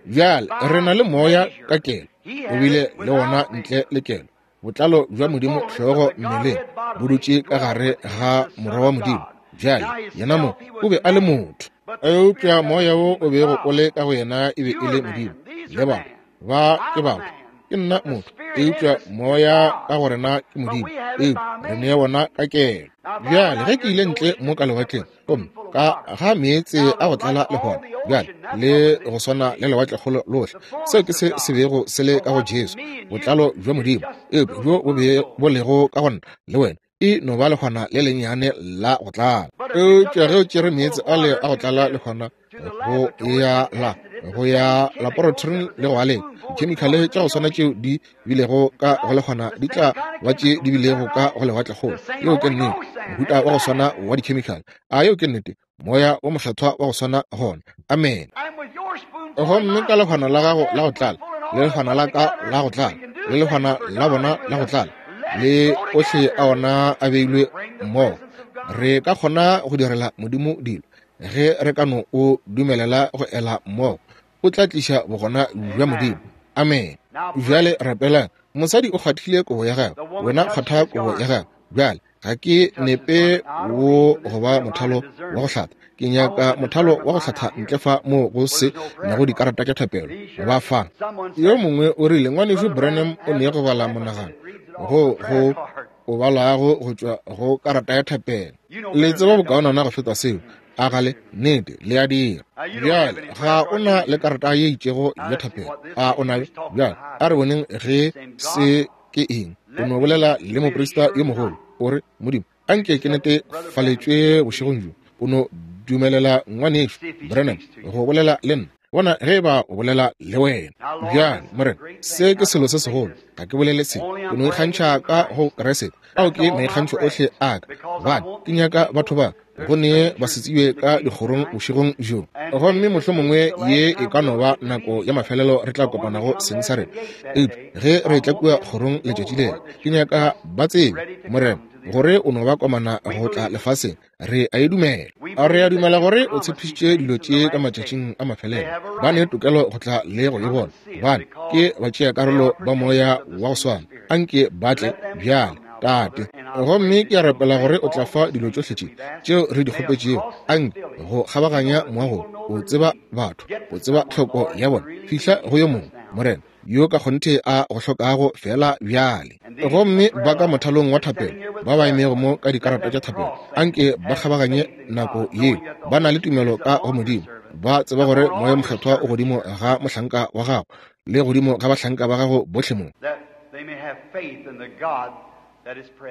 Bjale re na le moya ka kelo, o bile le wona ntle le kelo. Botlalo bja Modimo hlogo mmeleng bo dutše ka gare ga Morwa wa Modimo. Bjale yena mo o be a le motho, eupša moya wo o bego o le ka go yena e be e le Modimo. Le batho ba ke batho, ke nna motho, eupša moya ka go rena ke Modimo, eupša re ne wona ka kelo. Bjale ge ke ile ntle mo ka lewatleng, gomme ka ga meetse a go tlala lehwana, bjale le go swana le lewatlekgolo lohle, seo ke se se bego se le ka go Jesu, botlalo bja Modimo, eupša bjo bo be bo lego ka go nna le wena e no ba lehwana le lennyane la go tlala. Eupša ge o tšere meetse ale a go tlala lehwana go ya la go ya laboratoring le go aleng, dikhemikhale tša go swana tšeo di bilego ka go lehwana di tla ba tše di bilego ka go lewatlekgolo. Yeo ke nnete, mohuta wa go swana wa dikhemikhale. A yeo ke nnete? Moya wo mokgethwa wa go swana gona. Amen. Gomme ka lehwana la gago la go tlala, le lehwana la ka la go tlala, le lehwana la bona la go tlala, le ohle a ona a beilwe mmogo, re ka kgona go direla Modimo dilo ge re ka no o dumelela go ela mmogo. O tla tliša bogona bja Modimo. Amen. Bjale rapelang. Mosadi o kgwathile kobo ya gagwe, wena kgwatha kobo ya gagwe. Bjale ga ke nepe wo go ba mothalo wa go hlatha, ke nyaka mothalo wa go hlatha ntle fa moo go se nago dikarata tša thapelo ba fa. Yo mongwe o rile ngwanešu Branham o ne go bala monagano go go o balago go tšwa go karata ya thapelo. Le tseba bokaonana go feta seo. A gale nnete le a dira. Bjale ga o na le karata ye itšego ya thapelo, a o nayo? Bjale a re boneng ge se ke eng. O no bolela le moprista yo mogolo, o re, Modimo, anke ke netefaletšwe bošegong bjo. O no dumelela ngwanešu Branham go bolela le nna, bona ge ba o bolela le wena. Bjale Morena, se ke selo se segolo, ga ke bolele se, ke no ikgantšha ka go Kriste. Ao ke maikgantšho ohle a ka, gobane ke nyaka batho ba go ne ba se tsebe ka dikgorong bošegong bjo. Gomme mohlomongwe ye e ka no ba nako ya mafelelo re tla kopanago seng sa rena, eupša ge re tla kua kgorong letšatši lela, ke nyaka ba tsebe, Morena, gore o no ba komana go tla lefaseng. Re a e dumela. A re a dumela gore o tshepišitše dilo tše ka matšatšing a mafelelo. Ba ne tokelo go tla le go e bona, gobane ke batšeakarolo ba moya wa go swana. Anke ba tle bjale, Tate. Gomme ke a rapela gore o tla fa dilo tšohle tše tšeo re di kgopetšego. Anke go kgabaganya moago, o tseba batho, o tseba tlhoko ya bona. Fihla go yo mongwe, Morena, yo ka kgonthe a go hlokago fela bjale. Gomme ba ka mothalong wa thapelo, ba ba emego mo ka dikarata tša thapelo, anke ba kgabaganye nako yeo. Ba na le tumelo ka go Modimo, ba tseba gore Moya Mokgethwa o godimo ga mohlanka wa gago le godimo ga bahlanka ba gago bohle mo,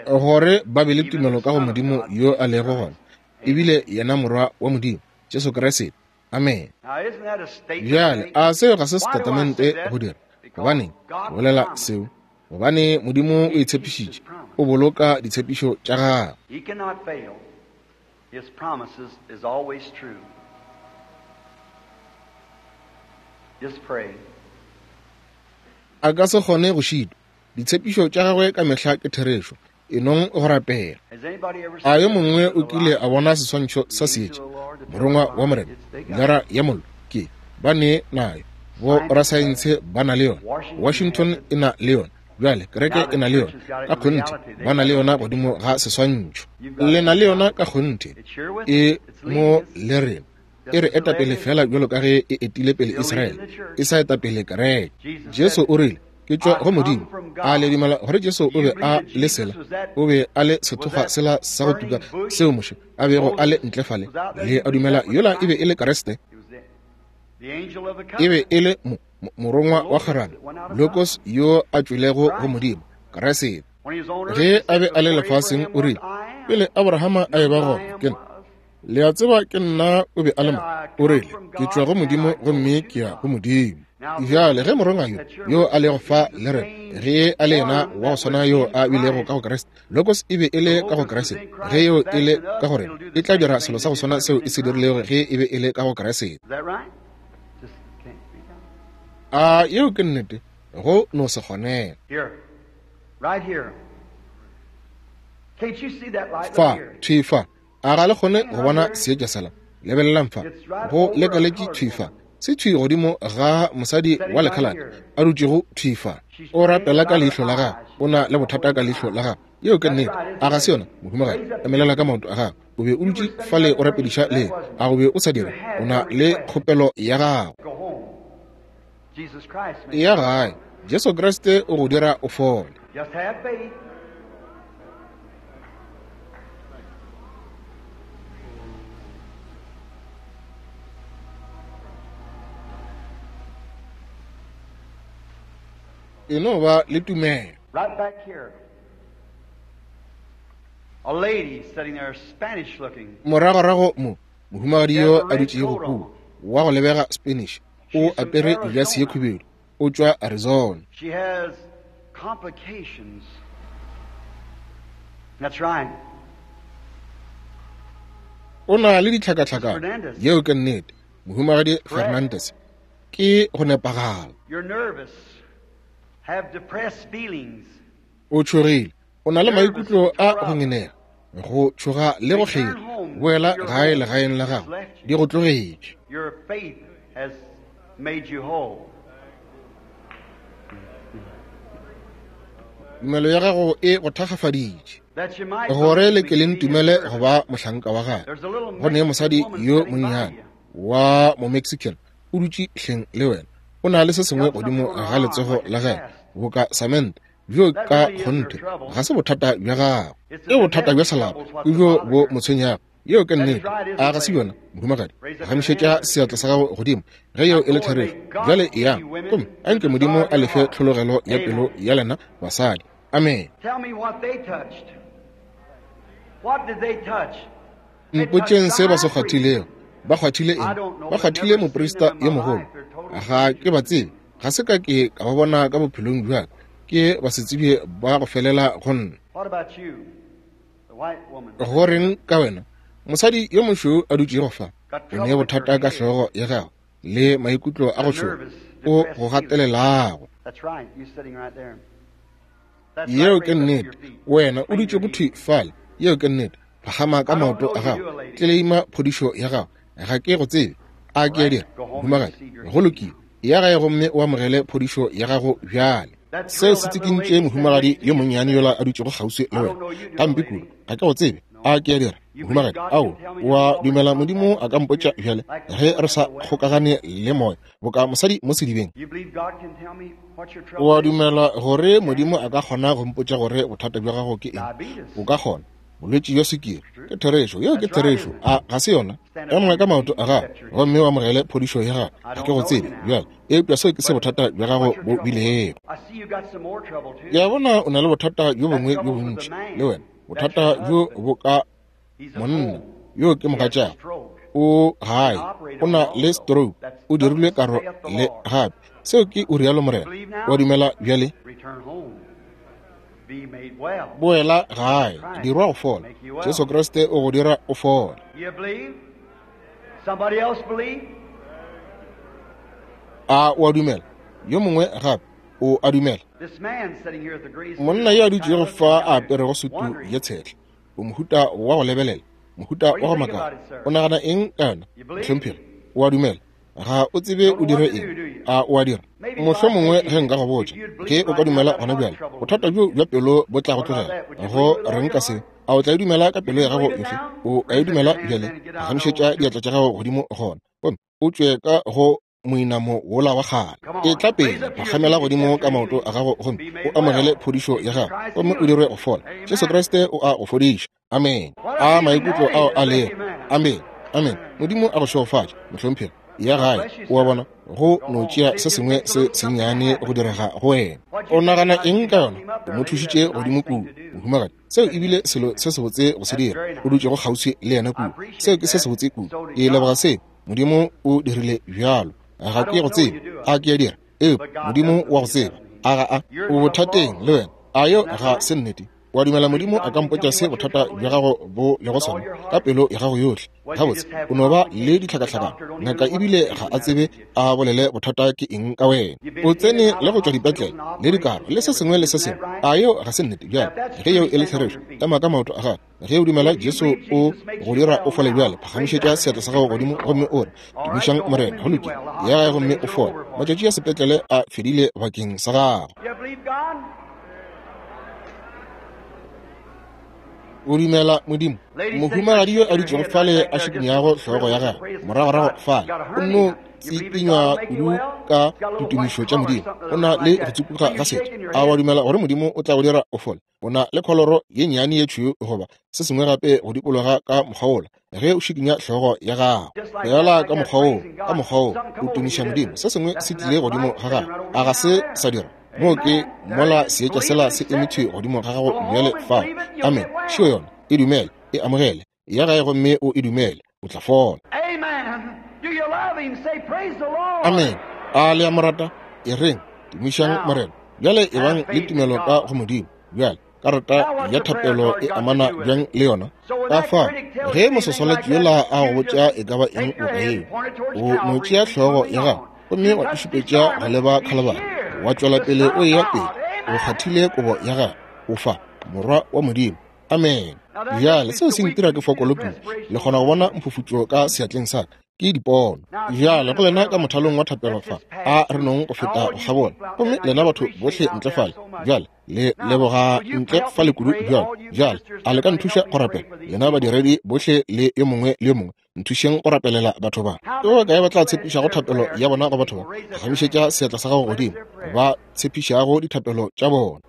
gore ba be le tumelo ka go Modimo yo a lego gona, ebile yena Morwa wa Modimo, Jesu Kriste. Amen. Bjale a seo ga se setatamente go dira? Gobaneng ke bolela seo? Gobane Modimo o itshepišitše, o boloka ditshepišo tša gagwe. A ka se kgone go šitwa. Ditshepišo tša gagwe ka mehla ke therešo. E nong go rapela. A yo mongwe o kile a bona seswantšho sa seetša, morongwa wa Morena, lara ya mollo? Ke ba ne nayo. Bo rasaense ba na le yona. Washington e na le yona. Bjale kereke e na le yona ka kgonthe, ba na le yona godimo ga seswantšho. Le na le yona ka kgonthe, e mo le rena. E re eta pele fela bjalo ka ge e etile pele Israele, e sa eta pele kereke. Jesu o rile, Ke tšwa go Modimo. A le dumela gore Jesu o be a le sela, o be a le sethokgwa sela sa go tuka seo Moshe a bego a le ntle fale? Le a dumela yola e be e le Kriste? E be e le morongwa wa kgwerano, Logos yo a tšwelego go Modimo, Kriste. Ge a be a le lefaseng o rile, pele Abrahama a eba gona, ke nna. Le a tseba ke nna o be a le mo. O rile, ke tšwa go Modimo gomme ke ya go Modimo. Bjale ge morongwa yo yo a lego fa le rena, ge a le yena wa go swana yo a bilego ka go Kriste, Logos e be e le ka go Kriste, ge yo e le ka go rena, e tla dira selo sa go swana seo e se dirilego ge e be e le ka go Kriste. A yeo ke nnete? Go no se kgonege. Fa, thwi fa, a ga le kgone go bona seetša sela? Lebelelang fa, go lekaletše thwi fa. Se thwi godimo ga mosadi wa lekhalate a dutšego thwi fa. O rapela ka leihlo la gagwe, o na le bothata ka leihlo la gagwe. Yeo ke nnete. A ga se yona, mohumagadi? Emelela ka maoto a gago. O be o dutše fale o rapediša le, a go be o sa dira? O na le kgopelo ya gago. Ya gae, Jesu Kriste o go dira o fole. E no ba le tumelo. Right back here. A lady sitting there, Spanish looking. Moragorago mo, mohumagadi yo a dutšego kua, wa go lebega Spanish, o apere jase ye khubedu, o tšwa Arizona. She has complications. That's right. O na le ditlhakatlhakano. Yeo ke nnete. Mohumagadi Fernandez, ke go nepagala. You're nervous. Have depressed feelings. O tšhogile, o na le maikutlo a go ngenega, go tšhoga le go kgela. Boela gae legaeng la gago, di go tlogetše. Your faith has made you whole. Tumelo ya gago e go thakgafaditše. Gore le ke le ntumele go ba mohlanka wa gagwe. Go ne mosadi yo monnyane wa mo-Mexican o dutše hleng le wena. O na le se sengwe godimo ga letsogo la gagwe boka samente, bjo ka kgonthe ga se bothata bja gago, ke bothata bja selapa, ke bjo bo mo tshwenyago. Yeo ke nnete. A ga se yona, mohumagadi? Gamišetša seatla sa gago godimo ge yeo e le therešo. Bjale eyang, gomme a nke Modimo a lefe tlhologelo ya pelo ya lena basadi. Amen. Mpotšeng se ba se kgwathilego. Ba kgwathile eng? Ba kgwathile moprista yo mogolo. Ga ke ba tsebe, ga se ka ke ka ba bona ka bophelong bja ka. Ke basetsebje ba go felela go nna. Go reng ka wena, mosadi yo mošweu a dutšego fa? O ne bothata ka hlogo ya gago le maikutlo a go tšhoga o go gatelelago. Yeo ke nnete. Wena o dutšego thwi fale. Yeo ke nnete. Phagama ka maoto a gago, tleleima phodišo ya gago. Ga ke go tsebe. A ke a dira, mohumagadi? Go lokile. Ya gae gomme o amogele phodišo ya gago bjale. Seo se tsikintše mohumagadi yo monnyane yola a dutšego kgauswi le wena gampe kudu. Ga ke go tsebe. A ke a dira, mohumagadi? Ao, wa dumela Modimo a ka mpotša bjale ge re sa kgokagane le moya boka mosadi mo sedibeng? Wa dumela gore Modimo a ka kgona go mpotša gore bothata bja gago ke eng? O ka kgona. Bolwetši bja sukiri. Ke therešo. Yeo ke therešo. A ga se yona? Ema ka maoto a gago gomme o amogele phodišo ya gago. Ga ke go tsebe bjale, eupša seo ke se bothata bja gago bo bilego. Ke a bona o na le bothata bjo bongwe bjo bontši le wena. Bothata bjo bo ka monna yo ke mogatšago. O gae, o na le stroke, o dirilwe karo le gape. Seo ke o rialo Morena. Wa dumela bjale? Boela gae, dirwa go fola. Jesu Kriste o go dira o fole. A o a dumela? Yo mongwe gape o a dumela? Monna yo a dutšego fa a aperego sutu ye tshehla, o mohuta wa go lebelela, mohuta wa go makala. O nagana eng ka yona, mohlomphegi? O a dumela? Ga o tsebe o dire eng. A o a dira? Mohlomongwe ge nka go botša, ge o ka dumela gona bjale, bothata bjo bja pelo bo tla go tlogela. Go reng ka seo? A o tla e dumela ka pelo ya gago yohle? O a e dumela bjale? Gamišetša diatla tša gago godimo gona, gomme o tšwe ka go moinamo wola wa kgale. E tla pele, phagamela godimo ka maoto a gago gomme o amogele phodišo ya gago, gomme o dirwe go fola. Jesu Kriste o a go fodiša. Amen. A maikutlo ao a lego. Amen. Amen. Modimo a go šegofatše, mohlomphegi. Ya gae, o a bona, go no tšea se sengwe se sennyane go direga go wena. O nagana eng ka yona? O mo thušitše godimo kudu, mohumagadi. Seo ebile selo se sebotse go se dira. O dutšego kgauswi le yena kudu. Seo ke se sebotse kudu. Ke leboga seo. Modimo o dirile bjalo. Ga ke go tsebe. A ke a dira? Eupša Modimo wa go tseba. A ga a? O bothateng le wena. A yo ga se nnete? Wa dumela Modimo a ka mpotša se bothata bja gago bo lego sona ka pelo ya gago yohle? Gabotse, o no ba le ditlhakatlhakano. Ngaka ebile ga a tsebe a bolele bothata ke eng ka wena. O tsene le go tšwa dipetlele le dikaro le se sengwe le se sengwe. A yeo ga se nnete? Bjale ge yeo e le therešo, ema ka maoto a gago. Ge o dumela Jesu o go dira o fole bjale, phagamišetša seatla sa gago godimo gomme o re, tumišang Morena. Go lokile, ya gae gomme o fole. Matšatši a sepetlele a fedile bakeng sa gago. O dumela Modimo? Mohumagadi yo a dutšego fale a šikinyago hlogo ya gagwe moragorago fale, o nno tsikinywa kudu ka ditumišo tša Modimo. O na le go tsupuga ga setho. A wa dumela gore Modimo o tla go dira o fole? O na le kholoro ye nnyane ye tšhweu goba se sengwe gape go dikologa ka mokgwa wola ge o šikinya hlogo ya gago. Fela ka mokgwa woo, ka mokgwa woo o tumiša Modimo. Se sengwe se tlile godimo ga gago. A ga se sa dira? Moo ke mola seetša sela se emetšwe godimo ga gago bjale fao. Amen. Šio yona. E dumele, e amogele. Ya gae gomme o e dumele. O tla fola. Amen. A le a mo rata? E reng, tumišang Morena. Bjale e bang le tumelo ka go Modimo. Bjale karata ya thapelo e amana bjang le yona? Ka fao ge mososwalatši yola a go botša e ka ba eng boka yeo, o no tšea hlogo ya gago gomme wa e šupetša go leba Khalibari, wa tšwela pele o eya pele. O kgathile kobo ya gago. O fa morwa wa Modimo. Amen. Bjale seo se ntira ke fokolo kudu. Le kgona go bona mphufutšo ka seatleng sa ka. Ke dipono. Bjale go lena ka mothalong wa thapelo fa, a re nong go feta go kgabola. Gomme lena batho bohle ntle fale, bjale le leboga ntle fale kudu bjalo. Bjale a le ka nthuša go rapela? Lena badiredi bohle le yo mongwe le yo mongwe, nthušeng go rapelela batho ba. Ke ba kae ba tla tshepišago thapelo ya bona go batho ba? Phagamišetša seatla sa gago godimo, ba tshepišago dithapelo tša bona.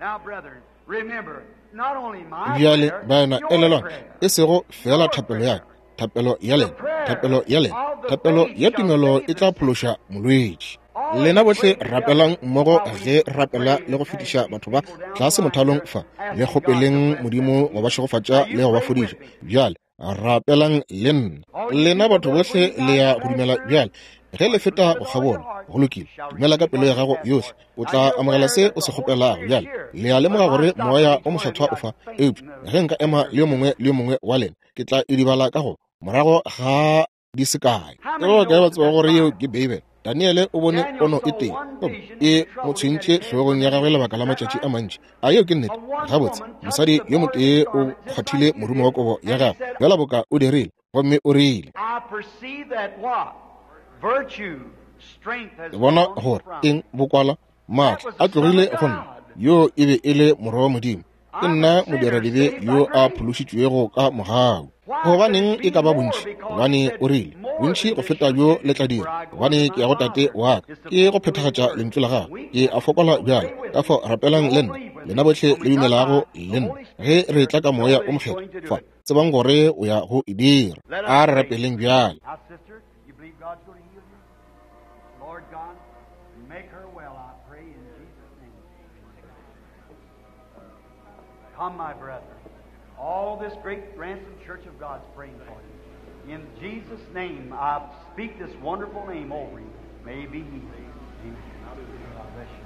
Bjale baena, elelwang, e sego fela thapelo ya ka, thapelo ya lena, thapelo ya lena, thapelo ya tumelo e tla phološa molwetši. Lena bohle rapelang mmogo ge rapela le go fetiša batho ba tlase mothalong fa, le kgopeleng Modimo go ba šegofatša le go ba fodiša. Bjale rapelang le nna. Lena batho bohle le ya go dumela bjale ge le feta go kgabola. Go lokile, dumela ka pelo ya gago yohle, o tla amogela se o se kgopelago. Bjale le a lemoga gore moya o mokgethwa o fa. Eupša ge nka ema le yo mongwe le yo mongwe wa lena, ke tla idibala ka go morago ga di se kae. Ke ba kae ba tseba gore yeo ke Beibele? Daniele o bone pono e tee, e mo tshwentše hlogong ya gagwe lebaka la matšatši a mantši. A yeo ke nnete? Gabotse, mosadi yo motee o kgwathile morumo wa kobo ya gagwe bjala boka o dirile, gomme o rile, ke bona gore eng bokwala maatla a tlogile go nna. Yo e be e le morwa wa Modimo. Ke nna modiradibe yo a phološitšwego ka mogau. Gobaneng e ka ba bontši? Gobane o rile, bontši go feta bjo le tla dira, gobane ke ya go Tate wa ka. Ke go phethagatša lentšu la gagwe. Ke a fokola bjale, ka fao rapelang le nna, lena bohle le dumelago le nna. Ge re tla ka moya o mokgethwa fa, tsebang gore o ya go e dira. A re rapeleng bjale. Come, my brethren. All this great ransom church of God's praying for you. In Jesus' name, I speak this wonderful name over you. May be healed. Amen. God bless you.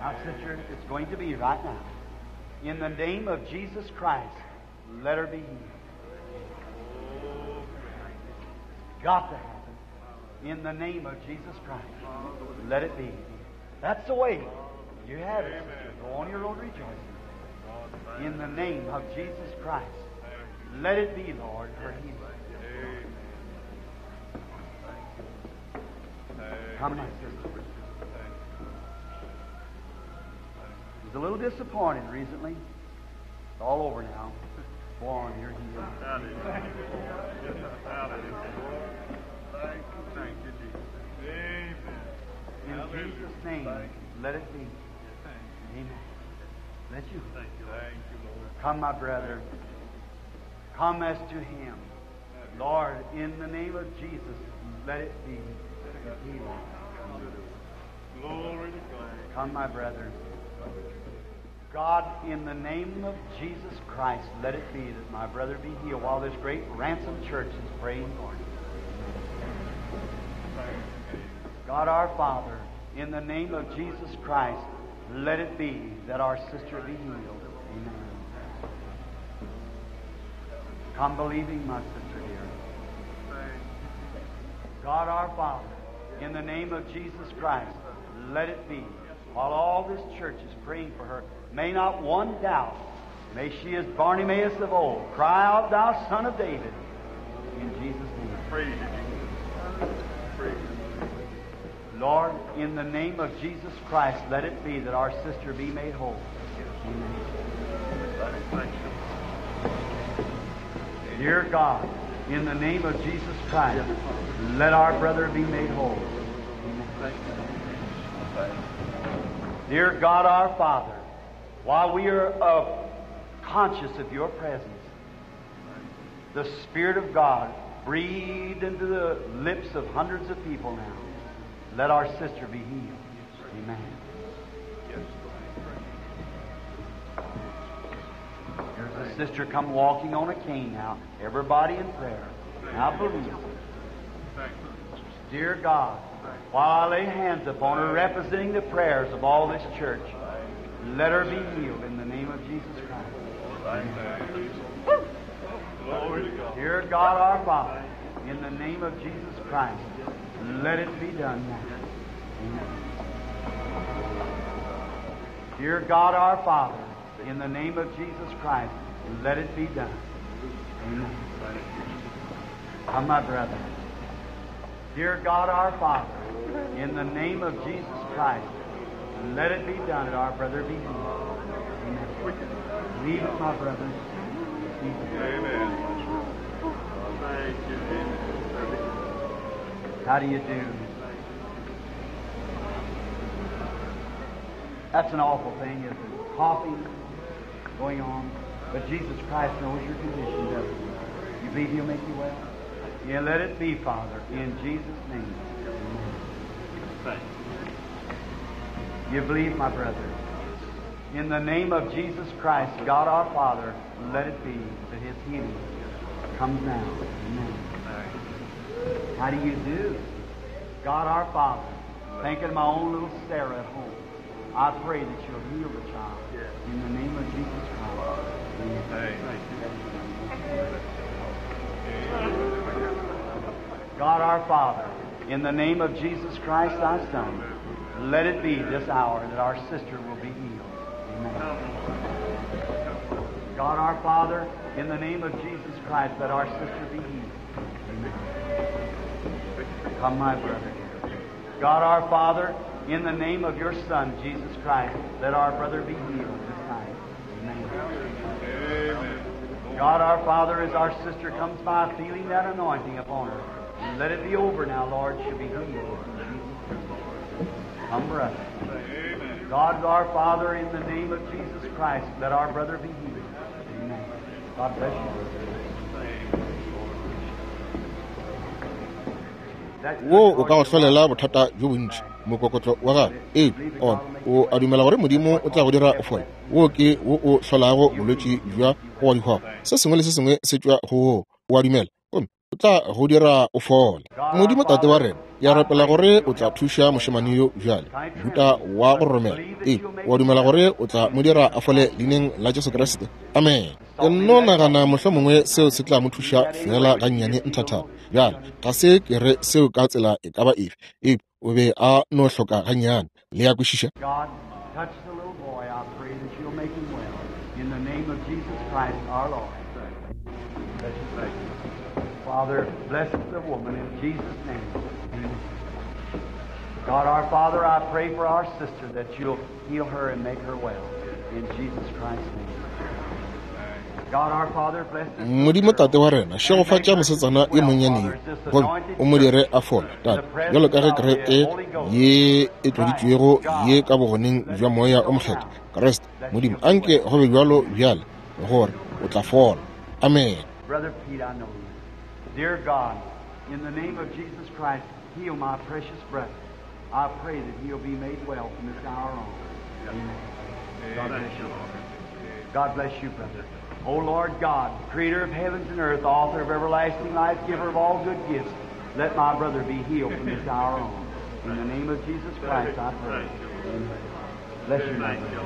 Now, sister, it's going to be right now. In the name of Jesus Christ, let her be healed. It's got to happen. In the name of Jesus Christ, let it be. That's the way. You have it, sister. Go on your road rejoicing. In the name of Jesus Christ, let it be, Lord, her healing. Come, my sister. I was a little disappointed recently. It's all over now. Go on, you're healed. Thank you, thank you, Jesus. Jesus' name, let it be. Amen. Let you. Come, my brother. Come as to him. Lord, in the name of Jesus, let it be. Healing. Glory to God. Come, my brother. God, in the name of Jesus Christ, let it be that my brother be healed while this great ransom church is praying for him. God our Father, in the name of Jesus Christ, let it be that our sister be healed. Amen. Come believing, my sister dear. God our Father, in the name of Jesus Christ, let it be. While all this church is praying for her, may not one doubt. May she, as Bartimaeus of old, cry out, Thou Son of David, in Jesus' name. Praise you, Jesus. Praise you. Lord, in the name of Jesus Christ, let it be that our sister be made whole. Amen. Dear God, in the name of Jesus Christ, let our brother be made whole. Amen. Dear God, our Father, while we are uh, conscious of your presence, the Spirit of God breathed into the lips of hundreds of people now. Let our sister be healed. Amen. There's a sister come walking on a cane now. Everybody in prayer. Now believe. Dear God, while I lay hands upon her, representing the prayers of all this church, let her be healed in the name of Jesus Christ. Amen. Dear God, our Father, in the name of Jesus Christ, let it be done now. Amen. Dear God, our Father, in the name of Jesus Christ, let it be done. Amen. Come, my brother. Dear God, our Father, in the name of Jesus Christ, let it be done that our brother be healed. Amen. Leave it, my brother. Leave it. Amen. Thank you. Amen. How do you do? That's an awful thing, isn't it? Coughing going on. But Jesus Christ knows your condition, doesn't he? You believe He'll make you well? Yeah, let it be, Father, in Jesus' name. Amen. You believe, my brother? In the name of Jesus Christ, God our Father, let it be that His healing comes now. Amen. How do you do? God our Father, thinking of my own little Sarah at home, I pray that you'll heal the child. In the name of Jesus Christ. Amen. God our Father, in the name of Jesus Christ, thy Son, let it be this hour that our sister will be healed. Amen. God our Father, in the name of Jesus Christ, let our sister be healed. Amen. Come, my brother. God our Father, in the name of your Son, Jesus Christ, let our brother be healed this night. Amen. Amen. God our Father, as our sister comes by feeling that anointing upon her, let it be over now, Lord. She'll be healed. Come, brother. Amen. God our Father, in the name of Jesus Christ, let our brother be healed. Amen. God bless you. Wo o ka go hlolela bothata bjo bontši mokokotlo wa gago. Ee, ona o a dumela gore Modimo o tla go dira o fole. Wo ke wo o hlolago bolwetši bja go wa dihwabo. Se sengwe le se sengwe se tšwa go wo. O a dumela gomme o tla go dira o fole. Modimo Tate wa rena, ke a rapela gore o tla thuša mošemane yo bjale, mohuta wa go romela. Ee, o a dumela gore o tla mo dira a fole leineng la Jesu Kriste. Amen. Ke nno nagana mohlomongwe seo se tla mo thuša fela gannyane nthathana. Bjale, ga se ke re seo ka tsela e ka ba efe, eupša o be a no hloka gannyane. Le a kwešiša? God, touch the little boy. I pray that you'll make him well. In the name of Jesus Christ, our Lord. Bless you. Father, bless the woman in Jesus' name. Amen. God, our Father, I pray for our sister that you'll heal her and make her well. In Jesus Christ's name. Modimo Tate wa rena, šegofatša mosetsana yo monnyane yo, gomme o mo dire a fole, Tate, bjalo ka ge kereke ye e tloditšwego ye ka bogoneng bja Moya o Mokgethwa, Kriste Modimo, anke go be bjalo bjale gore o tla fola. Amen. Brother Pete, I know you. Dear God, in the name of Jesus Christ, heal my precious brother. I pray that he'll be made well from this hour on. Amen. God bless you. God bless you, brother. O Lord God, creator of heavens and earth, author of everlasting life, giver of all good gifts, let my brother be healed from this hour on. In the name of Jesus Christ, I pray. Amen. Bless you, my brother.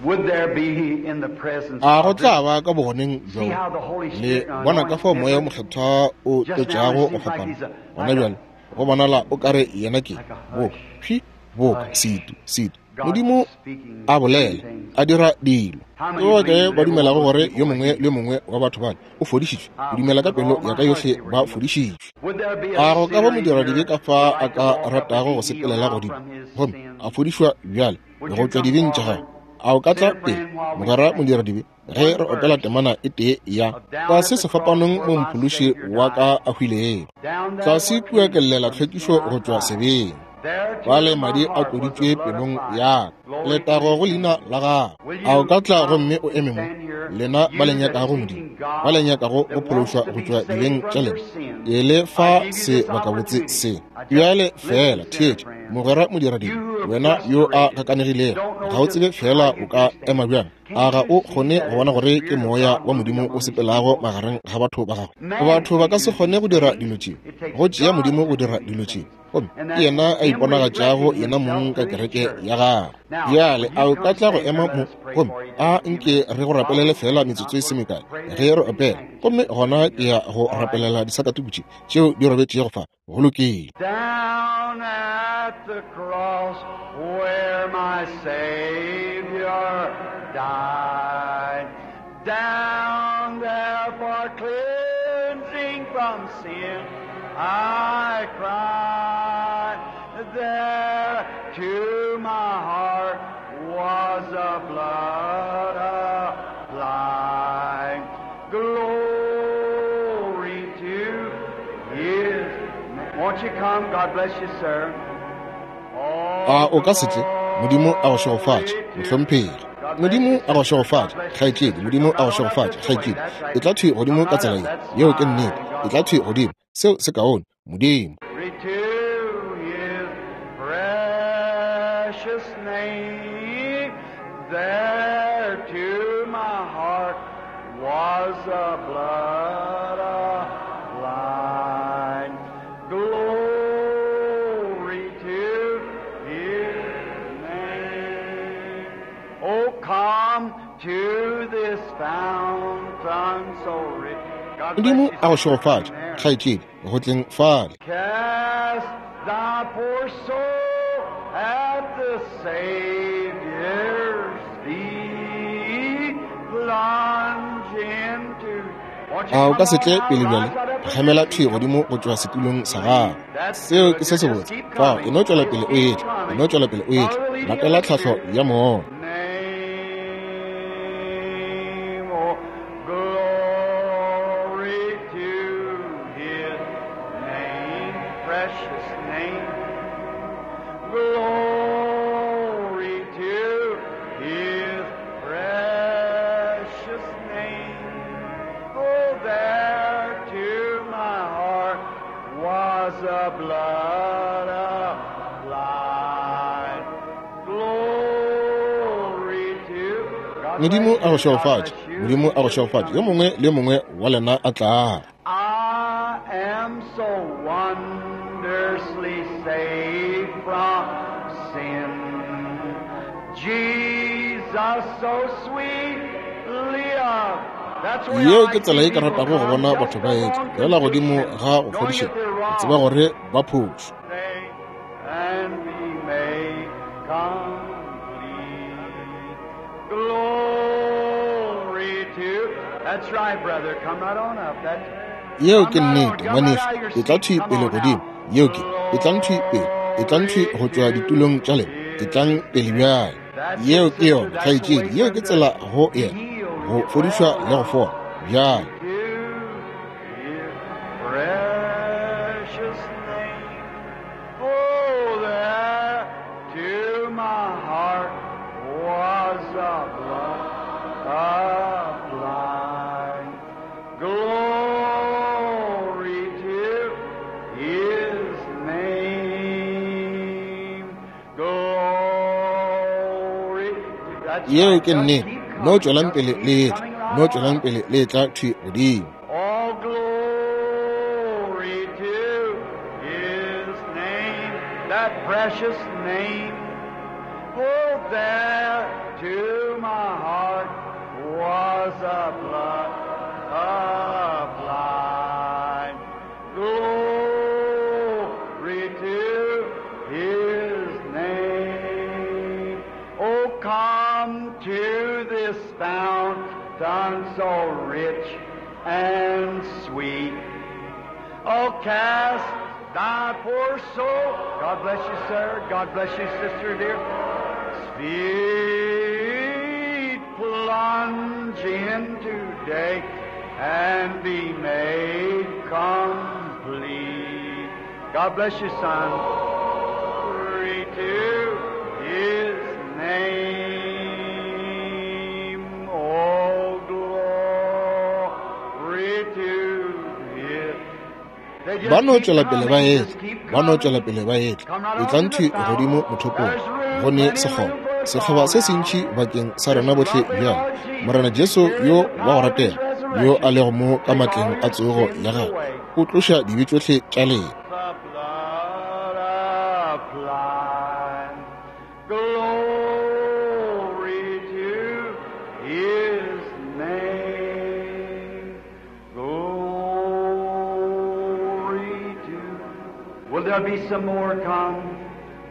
Would there be in the presence A go of this tla ba ka bogoneng See bjo how the Holy le Spirit bona ka anoints fao Moya o different? Mokgethwa o Just now it tlotšago go seems like fapana. he's a Gona like a bjale go bonala o kare yena ke like a boka hush. phi boka Hush. setu setu. God Modimo speaking a through bolela, things. a dira dilo. How Ke many ba believe kae that ba every one dumelago of those gore people yo were mongwe le healed? yo mongwe wa batho bale o fodišitšwe? I Ke dumela believe ka with pelo all ya my ka heart yohle they were ba healed. fodišitšwe. Would there be A a go ka ba sinner in modiradibe here ka fa would a like to ka walk up and ratago be go healed sepelela now godimo from his gomme sins? a fodišwa bjale Would go you tšwa come dibeng tša forward, gagwe? A o ka tla sinner pele, friend, while we mogwera sing modiradibe, ge one re opela verse temana e tee ya of Down tlase at the Cross sefapanong where mo my Mophološi Savior wa died, ka a hwilego. down there Tlase for kua ke cleansing llela from sin tlhwekišo I go tšwa cried. sebeng. There Bjale to my madi a heart was the tloditšwe blood pelong applied. ya ka. Glory to Letago his go leina name. la gagwe. Will A o you ka tla come gomme o and eme mo, stand here, lena ba le you that's nyakago Modimo, seeking ba le God, nyakago go that wants phološwa to go be tšwa saved dibeng from tša your lena? sins? Ke le I fa give you this sebakabotse opportunity. se. I just Bjale listen, fela sinner theetša, friend. mogwera You modiradibe, who are wena yo a frustrated, gakanegilego, don't ga know o just tsebe fela how o you ka can ema stand. bjang. A Can't ga you o see kgone that go bona it's the gore ke Spirit of Moya God wa moving Modimo o among His sepelago people? magareng ga batho ba gagwe? Man Batho ba can't ka se do kgone these go dira things. dilo tše. It takes Go tšea God Modimo to go do dira these dilo tše. things. Gomme And ke that's yena a Him iponagatšago reflecting yena mong Himself ka through His kereke church. ya gagwe. Now, Bjale will a you o ka come tla go stand here ema and let mo us pray gomme for you a just a few nke minutes? re go While rapelele we fela sing, metsotso I'm e se going to mekae pray ge this re with these opela. handkerchiefs Gomme gona sitting ke here. ya go All right. rapelela disakatuku tše tšeo di robetšego fa. Go lokile. Down at the cross where my Savior died, down there for cleansing from sin, I cried. There to my heart was the blood applied. Glory to His name. Won't you come? God bless you, sir. A Oh, o ka se tle? Modimo a go glory šegofatše, to mohlomphegi. God bless Modimo you, a go sister. God šegofatše, bless you, kgaetšedi. sister. Modimo Come a go right on up šegofatše, this way. kgaetšedi. That's E right. tla thwi godimo Come ka right tsela up. ye. That's Yeo ke fine. nnete. E God tla thwi godimo. Seo se kaone. Modimo. Glory to His precious name. There to my heart was the blood applied. Glory to His name. Oh, come to this fountain so rich. God bless Modimo you, a go sister. Come šegofatše, there. kgaetšedi, go tleng fale. Cast thy poor soul at the Savior's feet. Plunge into. Won't you A o come ka se on tle now? pele bjale? Rise right up with Phagamela your thwi feet. godimo go tšwa setulong sa gago. That's Seo good. ke se You just sebotse. keep Fao, e coming. no tšwela Just pele o keep etla. E coming. no tšwela pele o etla. Follow the leading of Latela the tlhahlo Spirit. ya Moya. Name, oh, glory to His name, precious name. Glory to His precious name. Oh, there to my heart was the blood applied. Glory to God Modimo bless a go you. God šegofatše. bless you. Modimo a go Each of you šegofatše. Yo coming. mongwe le yo mongwe wa lena a tlago. I am so wondrously saved from sin. Jesus so sweetly of. That's where I Yeo ke like tsela to ye see ke people ratago go come bona just batho ba etla upon fela godimo conviction, ga go knowing fodišega, that they're go tseba wrong. gore ba phošo. Say, and be made complete. Glory to. That's right, brother. Come right on up. That's Yeo come ke right on. nnete, Come right ngwanešu. out of your E tla seat. thwi Come pele on godimo. now. Yeo ke. E tlang thwi pele. E tlang thwi Glory go tšwa to ditulong tša lena. E His tlang pele bjale. Yeo ke yona, kgaetšedi, yeo ke tsela go yena, go fodišwa le go fola. Bjale Precious name, oh, there to my heart was the blood applied. Glory to His name. Glory. That's yeo right. ke Just nnete. keep No coming. tšwelang Just pele keep le etla, coming no right tšwelang on. pele le etla thwi godimo. All glory to His name, that precious name. Oh, there to my heart was a blood applied. Glory to His name. Oh, come to this fountain so rich and sweet. Oh, cast thy poor soul. God bless you, sir. God bless you, sister dear. Feet plunge in today and be made complete. God bless you, son. Glory to His name. Oh, glory to His. They just Ba no keep tšwela pele ba coming, etla, just keep ba no tšwela coming. pele ba etla. Come right E on tlang to thwi the fountain. godimo mothopong, There's room, go ne plenty of sekgoba, room for us sekgoba all se now. sentši bakeng sa This rena bohle lovely bjale. Lord Jesus, Morena Jesu here in yo the wa go power of His ratega, yo a resurrection, lego mo ka take all matleng a your tsogo sins ya gagwe, away. o tloša dibe tšohle tša lena. The blood applied. Glory to His name. Glory to. Will there be some more come?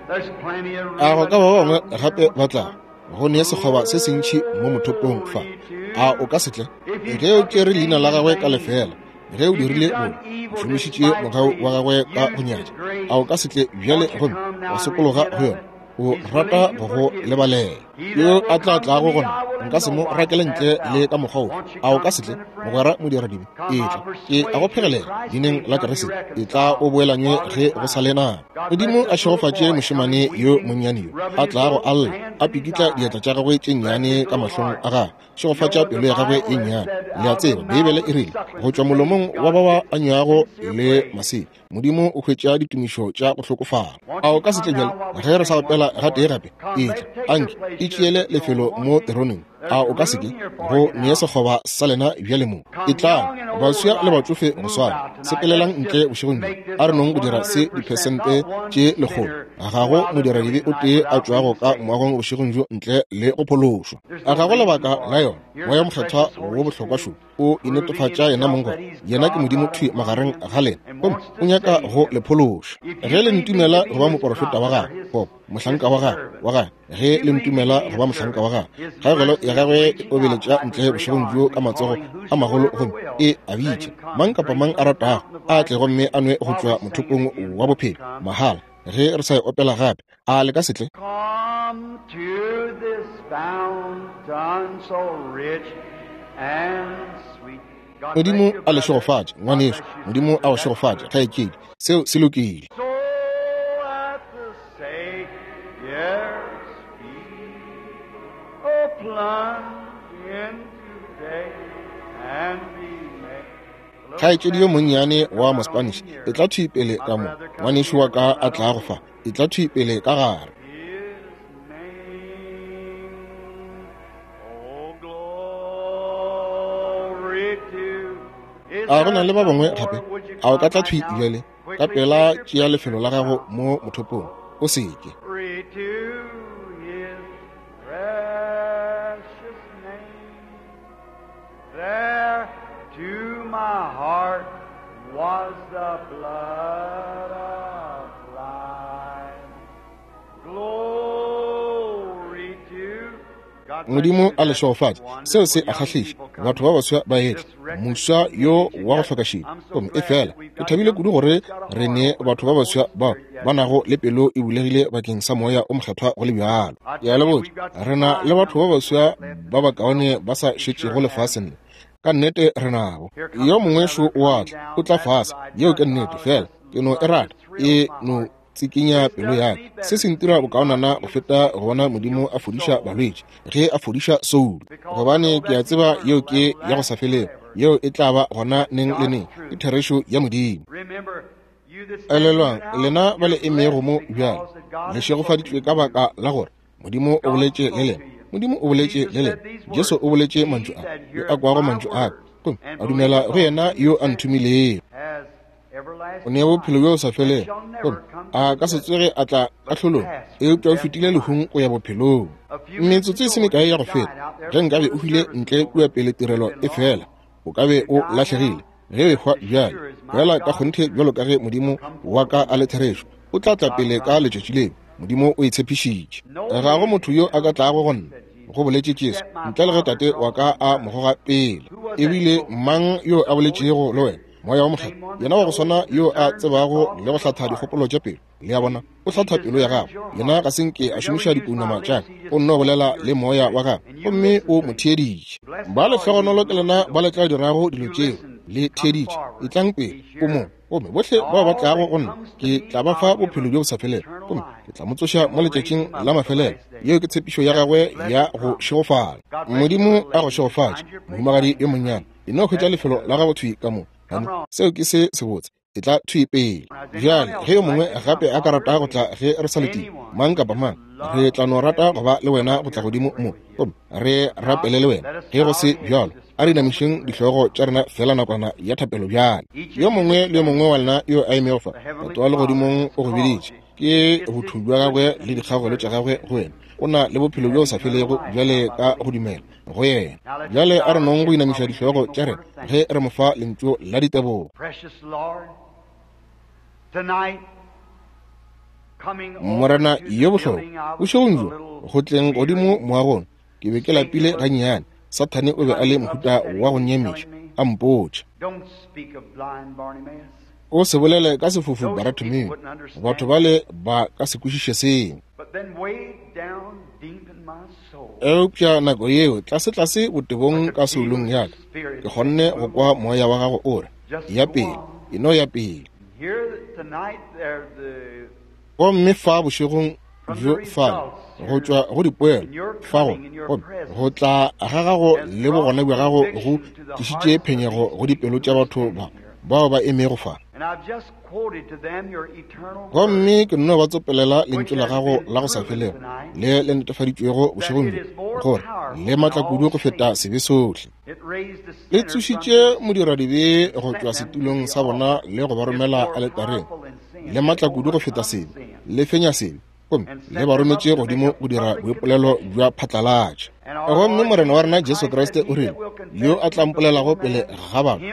There's plenty of A room go at ka the ba bangwe fountain here gape once ba tla more. go ne sekgoba se sentši mo mothopong fa. Glory A o to. ka se tle? If you Ge o took His tšere leina name la in gagwe ka vain, lefela, ge o if you've dirile done bobe, o evil šomišitše mogau despitefully, wa gagwe ka go used His nyatša, grace, a o ka se tle bjale won't you gomme come wa now and sokologa repent go of yona? it? O He's rata willing to go go forgive you. lebalela. He Yo that will a tla come to tlago me, go nna, I will in nka se no mo wise rakele ntle cast le out. ka mokgwa ofe. Won't you A o come, ka se tle, sinner friend? mogwera modiradibe? Come, I Etla, ke a go persuade you, phegelela Christ's leineng name la shall be Kriste. Etla reconciled o boelanywe while ge there's go sa time. le nako. God bless Modimo a this little šegofatše boy coming mošemane yo weeping, monnyane yo rubbing a his tlago little a lla, hands a in his pikitla eyes. diatla tša gagwe tše Bless nnyane his ka little mahlong heart. a gagwe. You Šegofatša know the pelo ya gagwe Bible e has nnyane. said, Le a out of tseba, the Beibele mouth e of rile, go sucklings tšwa and babes, molomong wa God ba ba gives anywago sincere le praise. masea, Modimo o hwetša ditumišo tša go hlokofala. Won't A o you ka se come tle now bjale while we ge re sa sing opela once gatee more? gape? Come, Etla, let take your anke place e here at tšeele the throne, lefelo won't mo you? teroneng. There's A o ka se room ke here for go you nee now. sekgoba sa lena bjale mo? Come Etlang, young and old baswa le alike, batšofe go move swana, out tonight. sepelelang Let's ntle just bošegong bjo. make this A re a nong go dira se one hundred percent, diphesente not one tše lekgolo. sinner Ga go go out of the modiradibe building o tonight tee a without tšwago being ka saved. moagong bošegong bjo ntle le go phološwa. There's A no ga go reason lebaka for la it. yona. Here's Moya the Mokgethwa precious wo Holy bohlokwa Spirit šo o proving inetefatša yena himself mong that gore he's yena ke God Modimo right thwi among magareng you ga lena, and gomme wants o to nyaka save go you. le phološa. If you Ge le believe me ntumela to be go ba his moporofeta wa prophet or gagwe, his, goba his mohlanka wa gagwe servant, wa gagwe, ge you le believe me to ntumela be go ba his mohlanka wa servant, gagwe, his kgaogelo mercy ya is gagwe e reaching out obeletša like a ntle great bošegong arms bjo ka and matsogo calling a magolo whosoever gomme will, e a let bitša. him come Mang and kapa drink mang a from the ratago fountain of a life tle gomme freely a nwe go while we tšwa sing it mothopong again. wa Won't you bophelo come? mahala. Ge re sa e opela gape, a le ka se tle? Come to this fountain so rich and sweet. God bless Modimo you, a le brother. šegofatše, God ngwanešu. bless you, Modimo sister. a go That's šegofatše, good. kgaetšedi. Seo se lokile. So at the Savior's feet, oh, plunge in today and be made. A little Kgaetšedi yo Spanish monnyane sister, come wa right on Mospanish, in e here. tla thwi pele My ka mo. brother, come Ngwanešu here. wa ka Come a right tla on go in. fa, e tla thwi pele ka gare. His name, oh glory to. Is A go na there le ba some bangwe more? gape? Would you A o ka come tla right thwi now? bjale? Ka Quickly pela take your tšea place lefelo here la at the gago fountain. mo mothopong. O se ke. Glory to His precious name. There to my heart was the blood applied. Glory to Modimo a le šegofatše. Seo se a kgahliša. Batho ba baswa ba etla. Moswa yo wa go hloka šedi. Gomme efela ke thabile kudu gore re ne batho ba baswa bao ba nago le pelo e bulegile bakeng sa Moya o Mokgethwa go le bjalo. Ke a le botša, re na le batho ba baswa ba bakaone ba sa šetšego lefaseng le. Ka nnete re nabo. Yo mongwe šo o a tla, o tla fase. Yeo ke nnete, fela ke no e rata, e no tsikinya pelo ya ka. Se se ntira bokaonana go feta go bona Modimo a fodiša balwetši ge a fodiša soulo, gobane ke a tseba yeo ke ya go sa felego, yeo e tla ba gona neng le neng. Ke therešo ya Modimo. Elelwang, lena ba le emego mo bjale, le šegofaditšwe ka baka la gore Modimo o boletše le lena. Modimo o boletše le lena. Jesu o boletše mantšu a, yo a kwago mantšu a ka, gomme a dumela go yena yo a nthomilego, o ne bophelo bjo sa felego, gomme a ka se tsoge a tla kahlolong, eupša o fetile lehung go ya bophelong. Metsotso e se mekae ya go feta, ge nkabe o hwile ntle kua pele tirelo e fela, o ka be o lahlegile. Ge o ehwa bjale, fela ka kgonthe bjalo ka ge Modimo wa ka a le therešo, o tla tla pele ka letšatši leo. Modimo o e tshepišitše. Ga go motho yo a ka tlago go nna, go boletše Jesu, ntle le ge Tate wa ka a mo goga pele. Ebile mang yo a boletšego le wena? Moya wa Mokgethwa, yena wa go swana yo a tsebago le go hlatha dikgopolo tša pelo. Le a bona, o hlatha pelo ya gago. Yena ga se nke a šomiša dipounama tša ka, o nno bolela le moya wa gago, gomme o mo theeditše. Ba lehlogonolo ke lena ba le tla dirago dilo tšeo, le theeditše. Etlang pele, o mo, gomme bohle bao ba tlago go nna, ke tla ba fa bophelo bjo bo sa felego, gomme ke tla mo tsoša mo letšatšing la mafelelo. Yeo ke tshepišo ya gagwe ya go šegofala. Modimo a go šegofatše, mohumagadi yo monnyane. E no hwetša lefelo la gago thwi ka mo. Seo ke se sebotse. E tla thwi pele. Bjale ge yo mongwe gape a ka rata go tla ge re sa letile, mang kapa mang, re tla no rata go ba le wena go tla godimo mo, gomme re rapele le wena. Ge go se bjalo, a re inamišeng dihlogo tša rena fela nakwana ya thapelo bjale. Yo mongwe le yo mongwe wa lena yo a emego fa, Tate wa legodimong o go biditše. Ke botho bja gagwe le dikgagolo tša gagwe go wena. O na le bophelo bjo sa felego bjale ka go dumela go yena. Bjale a re nong go inamiša dihlogo tša rena ge re mo fa lentšu la ditebogo. Morena yo bohlokwa, bošegong bjo go tleng godimo moagong, ke be ke lapile gannyane. Sathane o be a le mohuta wa go nyamiša, a mpotša, o se bolele ka sefofu Bartimeo, batho bale ba ka se kwešiše seo. Eupša nako yeo, tlase-tlase botebong ka soulong ya ka, ke kgonne go kwa moya wa gago o re, ya pele, e no ya pele. Gomme fa bošegong bjo fale, go tšwa go dipoelo fa go, gomme go tla ga gago le bogona bja gago go tlišitše phenyego go dipelo tša batho ba bao ba emego fa. Gomme ke nno ba tsopelela lentšu la gago la go sa felego le le netefaditšwego bošegong bjo, gore le matla kudu go feta sebe sohle. Le tsošitše modiradibe go tšwa setulong sa bona le go ba romela aletareng. Le matla kudu go feta sebe, le fenya sebe, gomme le ba rometše godimo go dira boipolelo bja phatlalatša. Gomme Morena wa rena Jesu Kriste o rile, yo a tla mpolelago pele ga batho,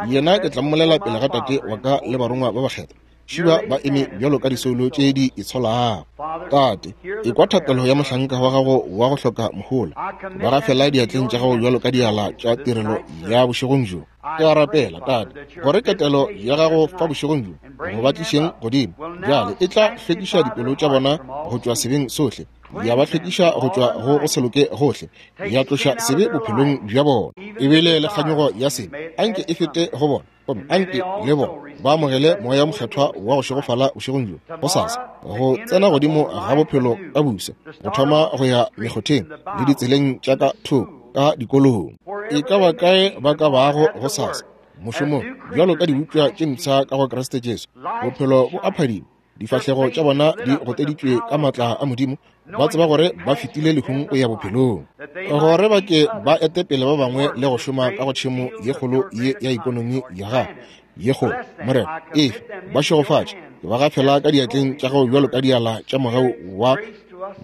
yena ke tla mmolela pele ga Tate wa ka le barongwa ba bakgethwa. Šiba ba eme bjalo ka disoulo tše di itsholago. Tate, ekwa thapelo ya mohlanka wa gago wa go hloka mohola. Ba gafela diatleng tša gago bjalo ka diala tša tirelo ya bošegong bjo. Ke a rapela, Tate, gore ketelo ya gago fa bošegong bjo go ba tlišeng godimo bjale e tla hlwekiša dipelo tša bona go tšwa sebeng sohle, ya ba hlwekiša go tšwa go go se loke gohle, ya tloša sebe bophelong bja bona. Ebile le kganyogo ya sebe anke e fete go bona, gomme anke le bona ba amogele Moya Mokgethwa wa go šegofala bošegong bjo gosasa, go tsena godimo ga bophelo ka busa, go thoma go ya mekgotheng le ditseleng tša ka thoko ka dikolong. E ka ba kae ba ka bago gosasa mošomong bjalo ka dibopša tše mpsha ka go Kriste Jesu, bophelo bo a phadima, difahlego tša bona di goteditšwe ka matla a Modimo, ba tseba gore ba fetile lehung go ya bophelong, gore ba ke ba ete pele ba bangwe le go šoma ka go tšhemo ye kgolo ye ya ikonomi ya gago ye kgolo. Morena, efe ba šegofatše, ke ba gafela ka diatleng tša gago bjalo ka diala tša mogau wa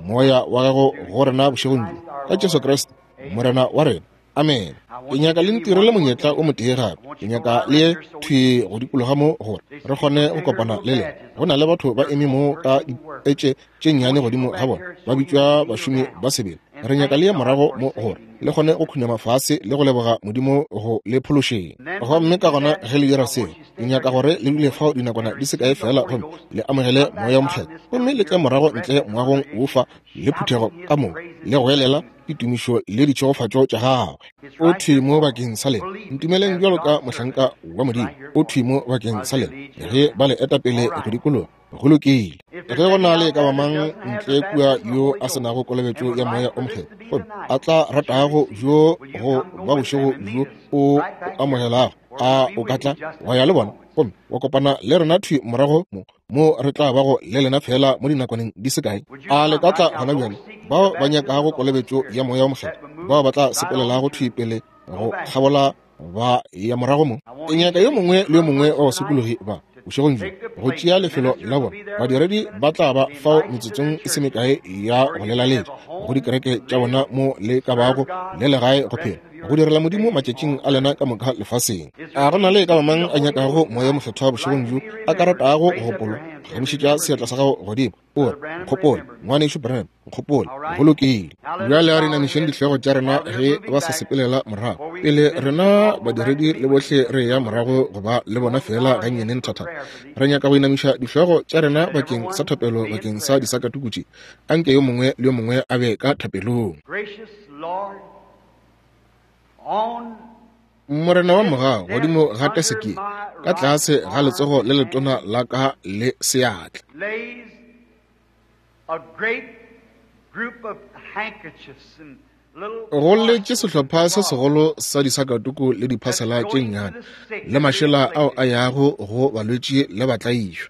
moya wa gago go rena bošegong bjo, ka Jesu Kriste Morena wa rena. Amen. Ke nyaka le ntirele monyetla o motee gape. Ke nyaka le ye thwi go dikologa mo gore re kgone go kopana le lena. Go na le batho ba eme mo ka dipetše tše nnyane godimo ga bona, ba bitšwa bašomi ba sebele. Re nyaka le ye morago mo gore le kgone go khunama fase le go leboga Modimo go le phološeng. Gomme ka gona ge le dira seo, ke nyaka gore le dule fao dinakwana di se kae fela gomme le amogele Moya wo Mokgethwa, gomme le tle morago ntle moagong wo fa le phuthego ka moka le go elela ditumišo le ditšhegofatšo tša gagwe. O thwi mo bakeng sa lena. Ntumeleng bjalo ka mohlanka wa Modimo. O thwi mo bakeng sa lena ge ba le eta pele go dikologa. Go lokile. Ge go na le ka ba mang ntle kua yo a se nago kolobetšo ya Moya o Mokgethwa, gomme a tla ratago bjo go ba bošego bjo o amogelago, a o ka tla wa ya le bona gomme wa kopana le rena thwi morago mo mo re tla bago le lena fela mo dinakwaneng di se kae. A le ka tla gona bjale? Bao ba nyakago kolobetšo ya Moya o Mokgethwa, bao ba tla sepelelago thwi pele go kgabola ba ya morago mo. Ke nyaka yo mongwe le yo mongwe wa basokologi ba bošegong bjo go tšea lefelo la bona. Badiredi ba tla ba fao metsotsong e se mekae ya go lelaletša go dikereke tša bona mo le ka bago le legae go phela go direla Modimo matšatšing a lena ka moka lefaseng. A go na le ka ba mang a nyakago Moya o Mokgethwa bošegong bjo a ka ratago go gopolwa? Gamišetša seatla sa gago godimo o re, nkgopole, ngwanešu Branham, nkgopole. Go lokile. Bjale a re inamišeng dihlogo tša rena ge ba sa sepelela morago. Pele rena badiredi le bohle re ya morago go ba le bona fela gannyane nthathana, re nyaka go inamiša dihlogo tša rena bakeng sa thapelo bakeng sa disakatuku tše. Anke yo mongwe le yo mongwe a be ka thapelong. Morena wa mogau, godimo ga teseke, ka tlase ga letsogo le letona la ka le seatla, go letše sehlopha se segolo sa disakatuku le diphasela tše nnyane le mašela ao a yago go balwetši le batlaišwa.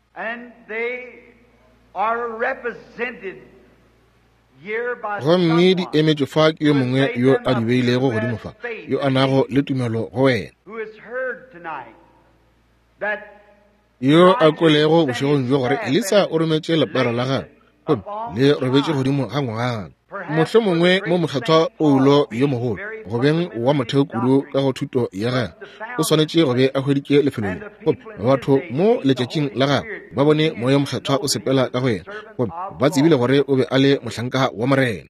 Gomme di emetšwe fa ke yo mongwe yo a di beilego godimo fa, yo a nago le tumelo go wena, yo a kwelego bošegong bjo gore Elisa o rometše lepara la gagwe gomme le robetše godimo ga ngwana. Mohlomongwe mo mokgethwa Paulo yo mogolo, go beng wa motheo kudu ka go thuto ya gagwe, o swanetše go be a hweditše lefelo le, gomme batho mo letšatšing la gagwe ba bone Moya Mokgethwa o sepela ka go yena, gomme ba tsebile gore o be a le mohlanka wa Morena.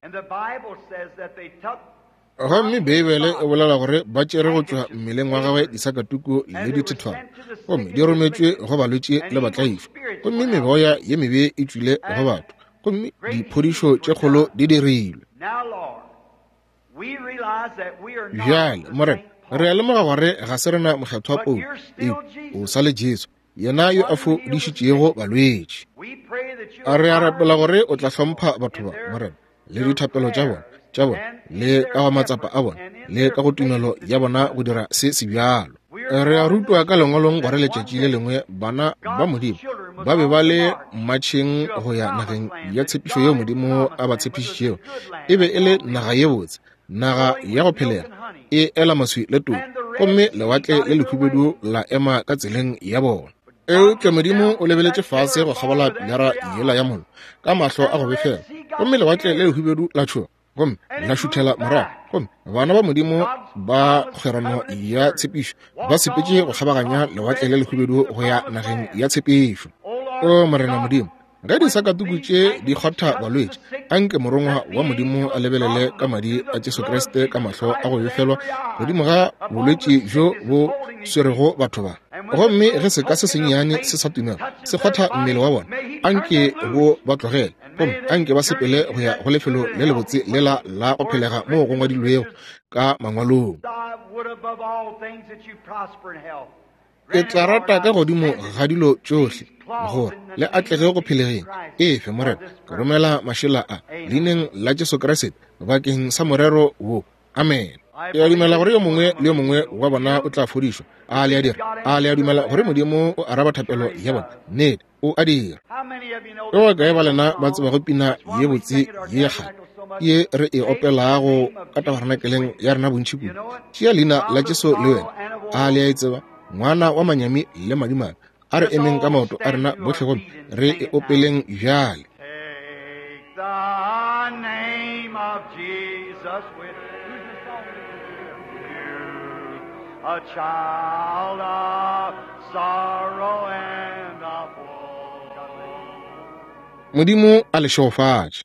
Gomme Beibele e bolela gore ba tšere go tšwa mmeleng wa gagwe disakatuku le dithethwana, gomme di rometšwe go balwetši le batlaišwa, gomme meboya ye mebe e tšwile go batho, gomme diphodišo tše kgolo di dirilwe. Bjale, Morena, re a lemoga gore ga se rena mokgethwa Paulo, eupša o sa le Jesu, yena yo a fodišitšego balwetši. A re a rapela gore o tla hlompha batho ba, Morena, le dithapelo tša bona tša bona le ka go matsapa a bona le ka go tumelo ya bona go dira se se bjalo. Re a rutwa ka lengwalong gore letšatši le lengwe bana ba Modimo ba be ba le mmatšheng go ya nageng ya tshepišo yeo Modimo a ba tshepišitšego. E be e le naga ye botse, naga ya go phelega, e ela maswi le todi, gomme lewatle le lehubedu la ema ka tseleng ya bona. Eupša Modimo o lebeletše fase go kgabola pilara yela ya mollo ka mahlo a go befela, gomme lewatle le lehubedu la tšhoga gomme la šuthela morago, gomme bana ba Modimo ba kgwerano ya tshepišo ba sepetše go kgabaganya lewatle le lehubedu go ya nageng ya tshepišo. O Morena Modimo, ge disakatuku tše di kgotha balwetši, anke morongwa wa Modimo a lebelele ka madi a Jesu Kriste ka mahlo a go befelwa godimo ga bolwetši bjo bo swerego batho ba. Gomme ge seka se sennyane se sa tumelo se kgotha mmele wa bona, anke bo ba tlogele, gomme anke ba sepele go ya go lefelo le lebotse lela la go phelega moo go ngwadilwego ka mangwalong. Ke tla rata ka godimo ga dilo tšohle gore le atlege go phelegeng. Efe, Morena, ke romela mašela a leineng la Jesu Kriste bakeng sa morero wo. Amen. Ke a dumela gore yo mongwe le yo mongwe wa bona o tla fodišwa. A le a dira? A le a dumela gore Modimo o araba thapelo ya bona? Nnete, o a dira. Ke ba kae ba lena ba tsebago pina ye botse ye kgale ye re e opelago ka tabernakeleng ya rena bontši kudu? Tšea leina la Jesu le wena. A le a e tseba? Ngwana wa manyami le madimabe. A re emeng ka maoto a rena bohle gomme re e opeleng bjale. Take the name of Jesus with you, a child of sorrow and of woe. Modimo a le šegofatše.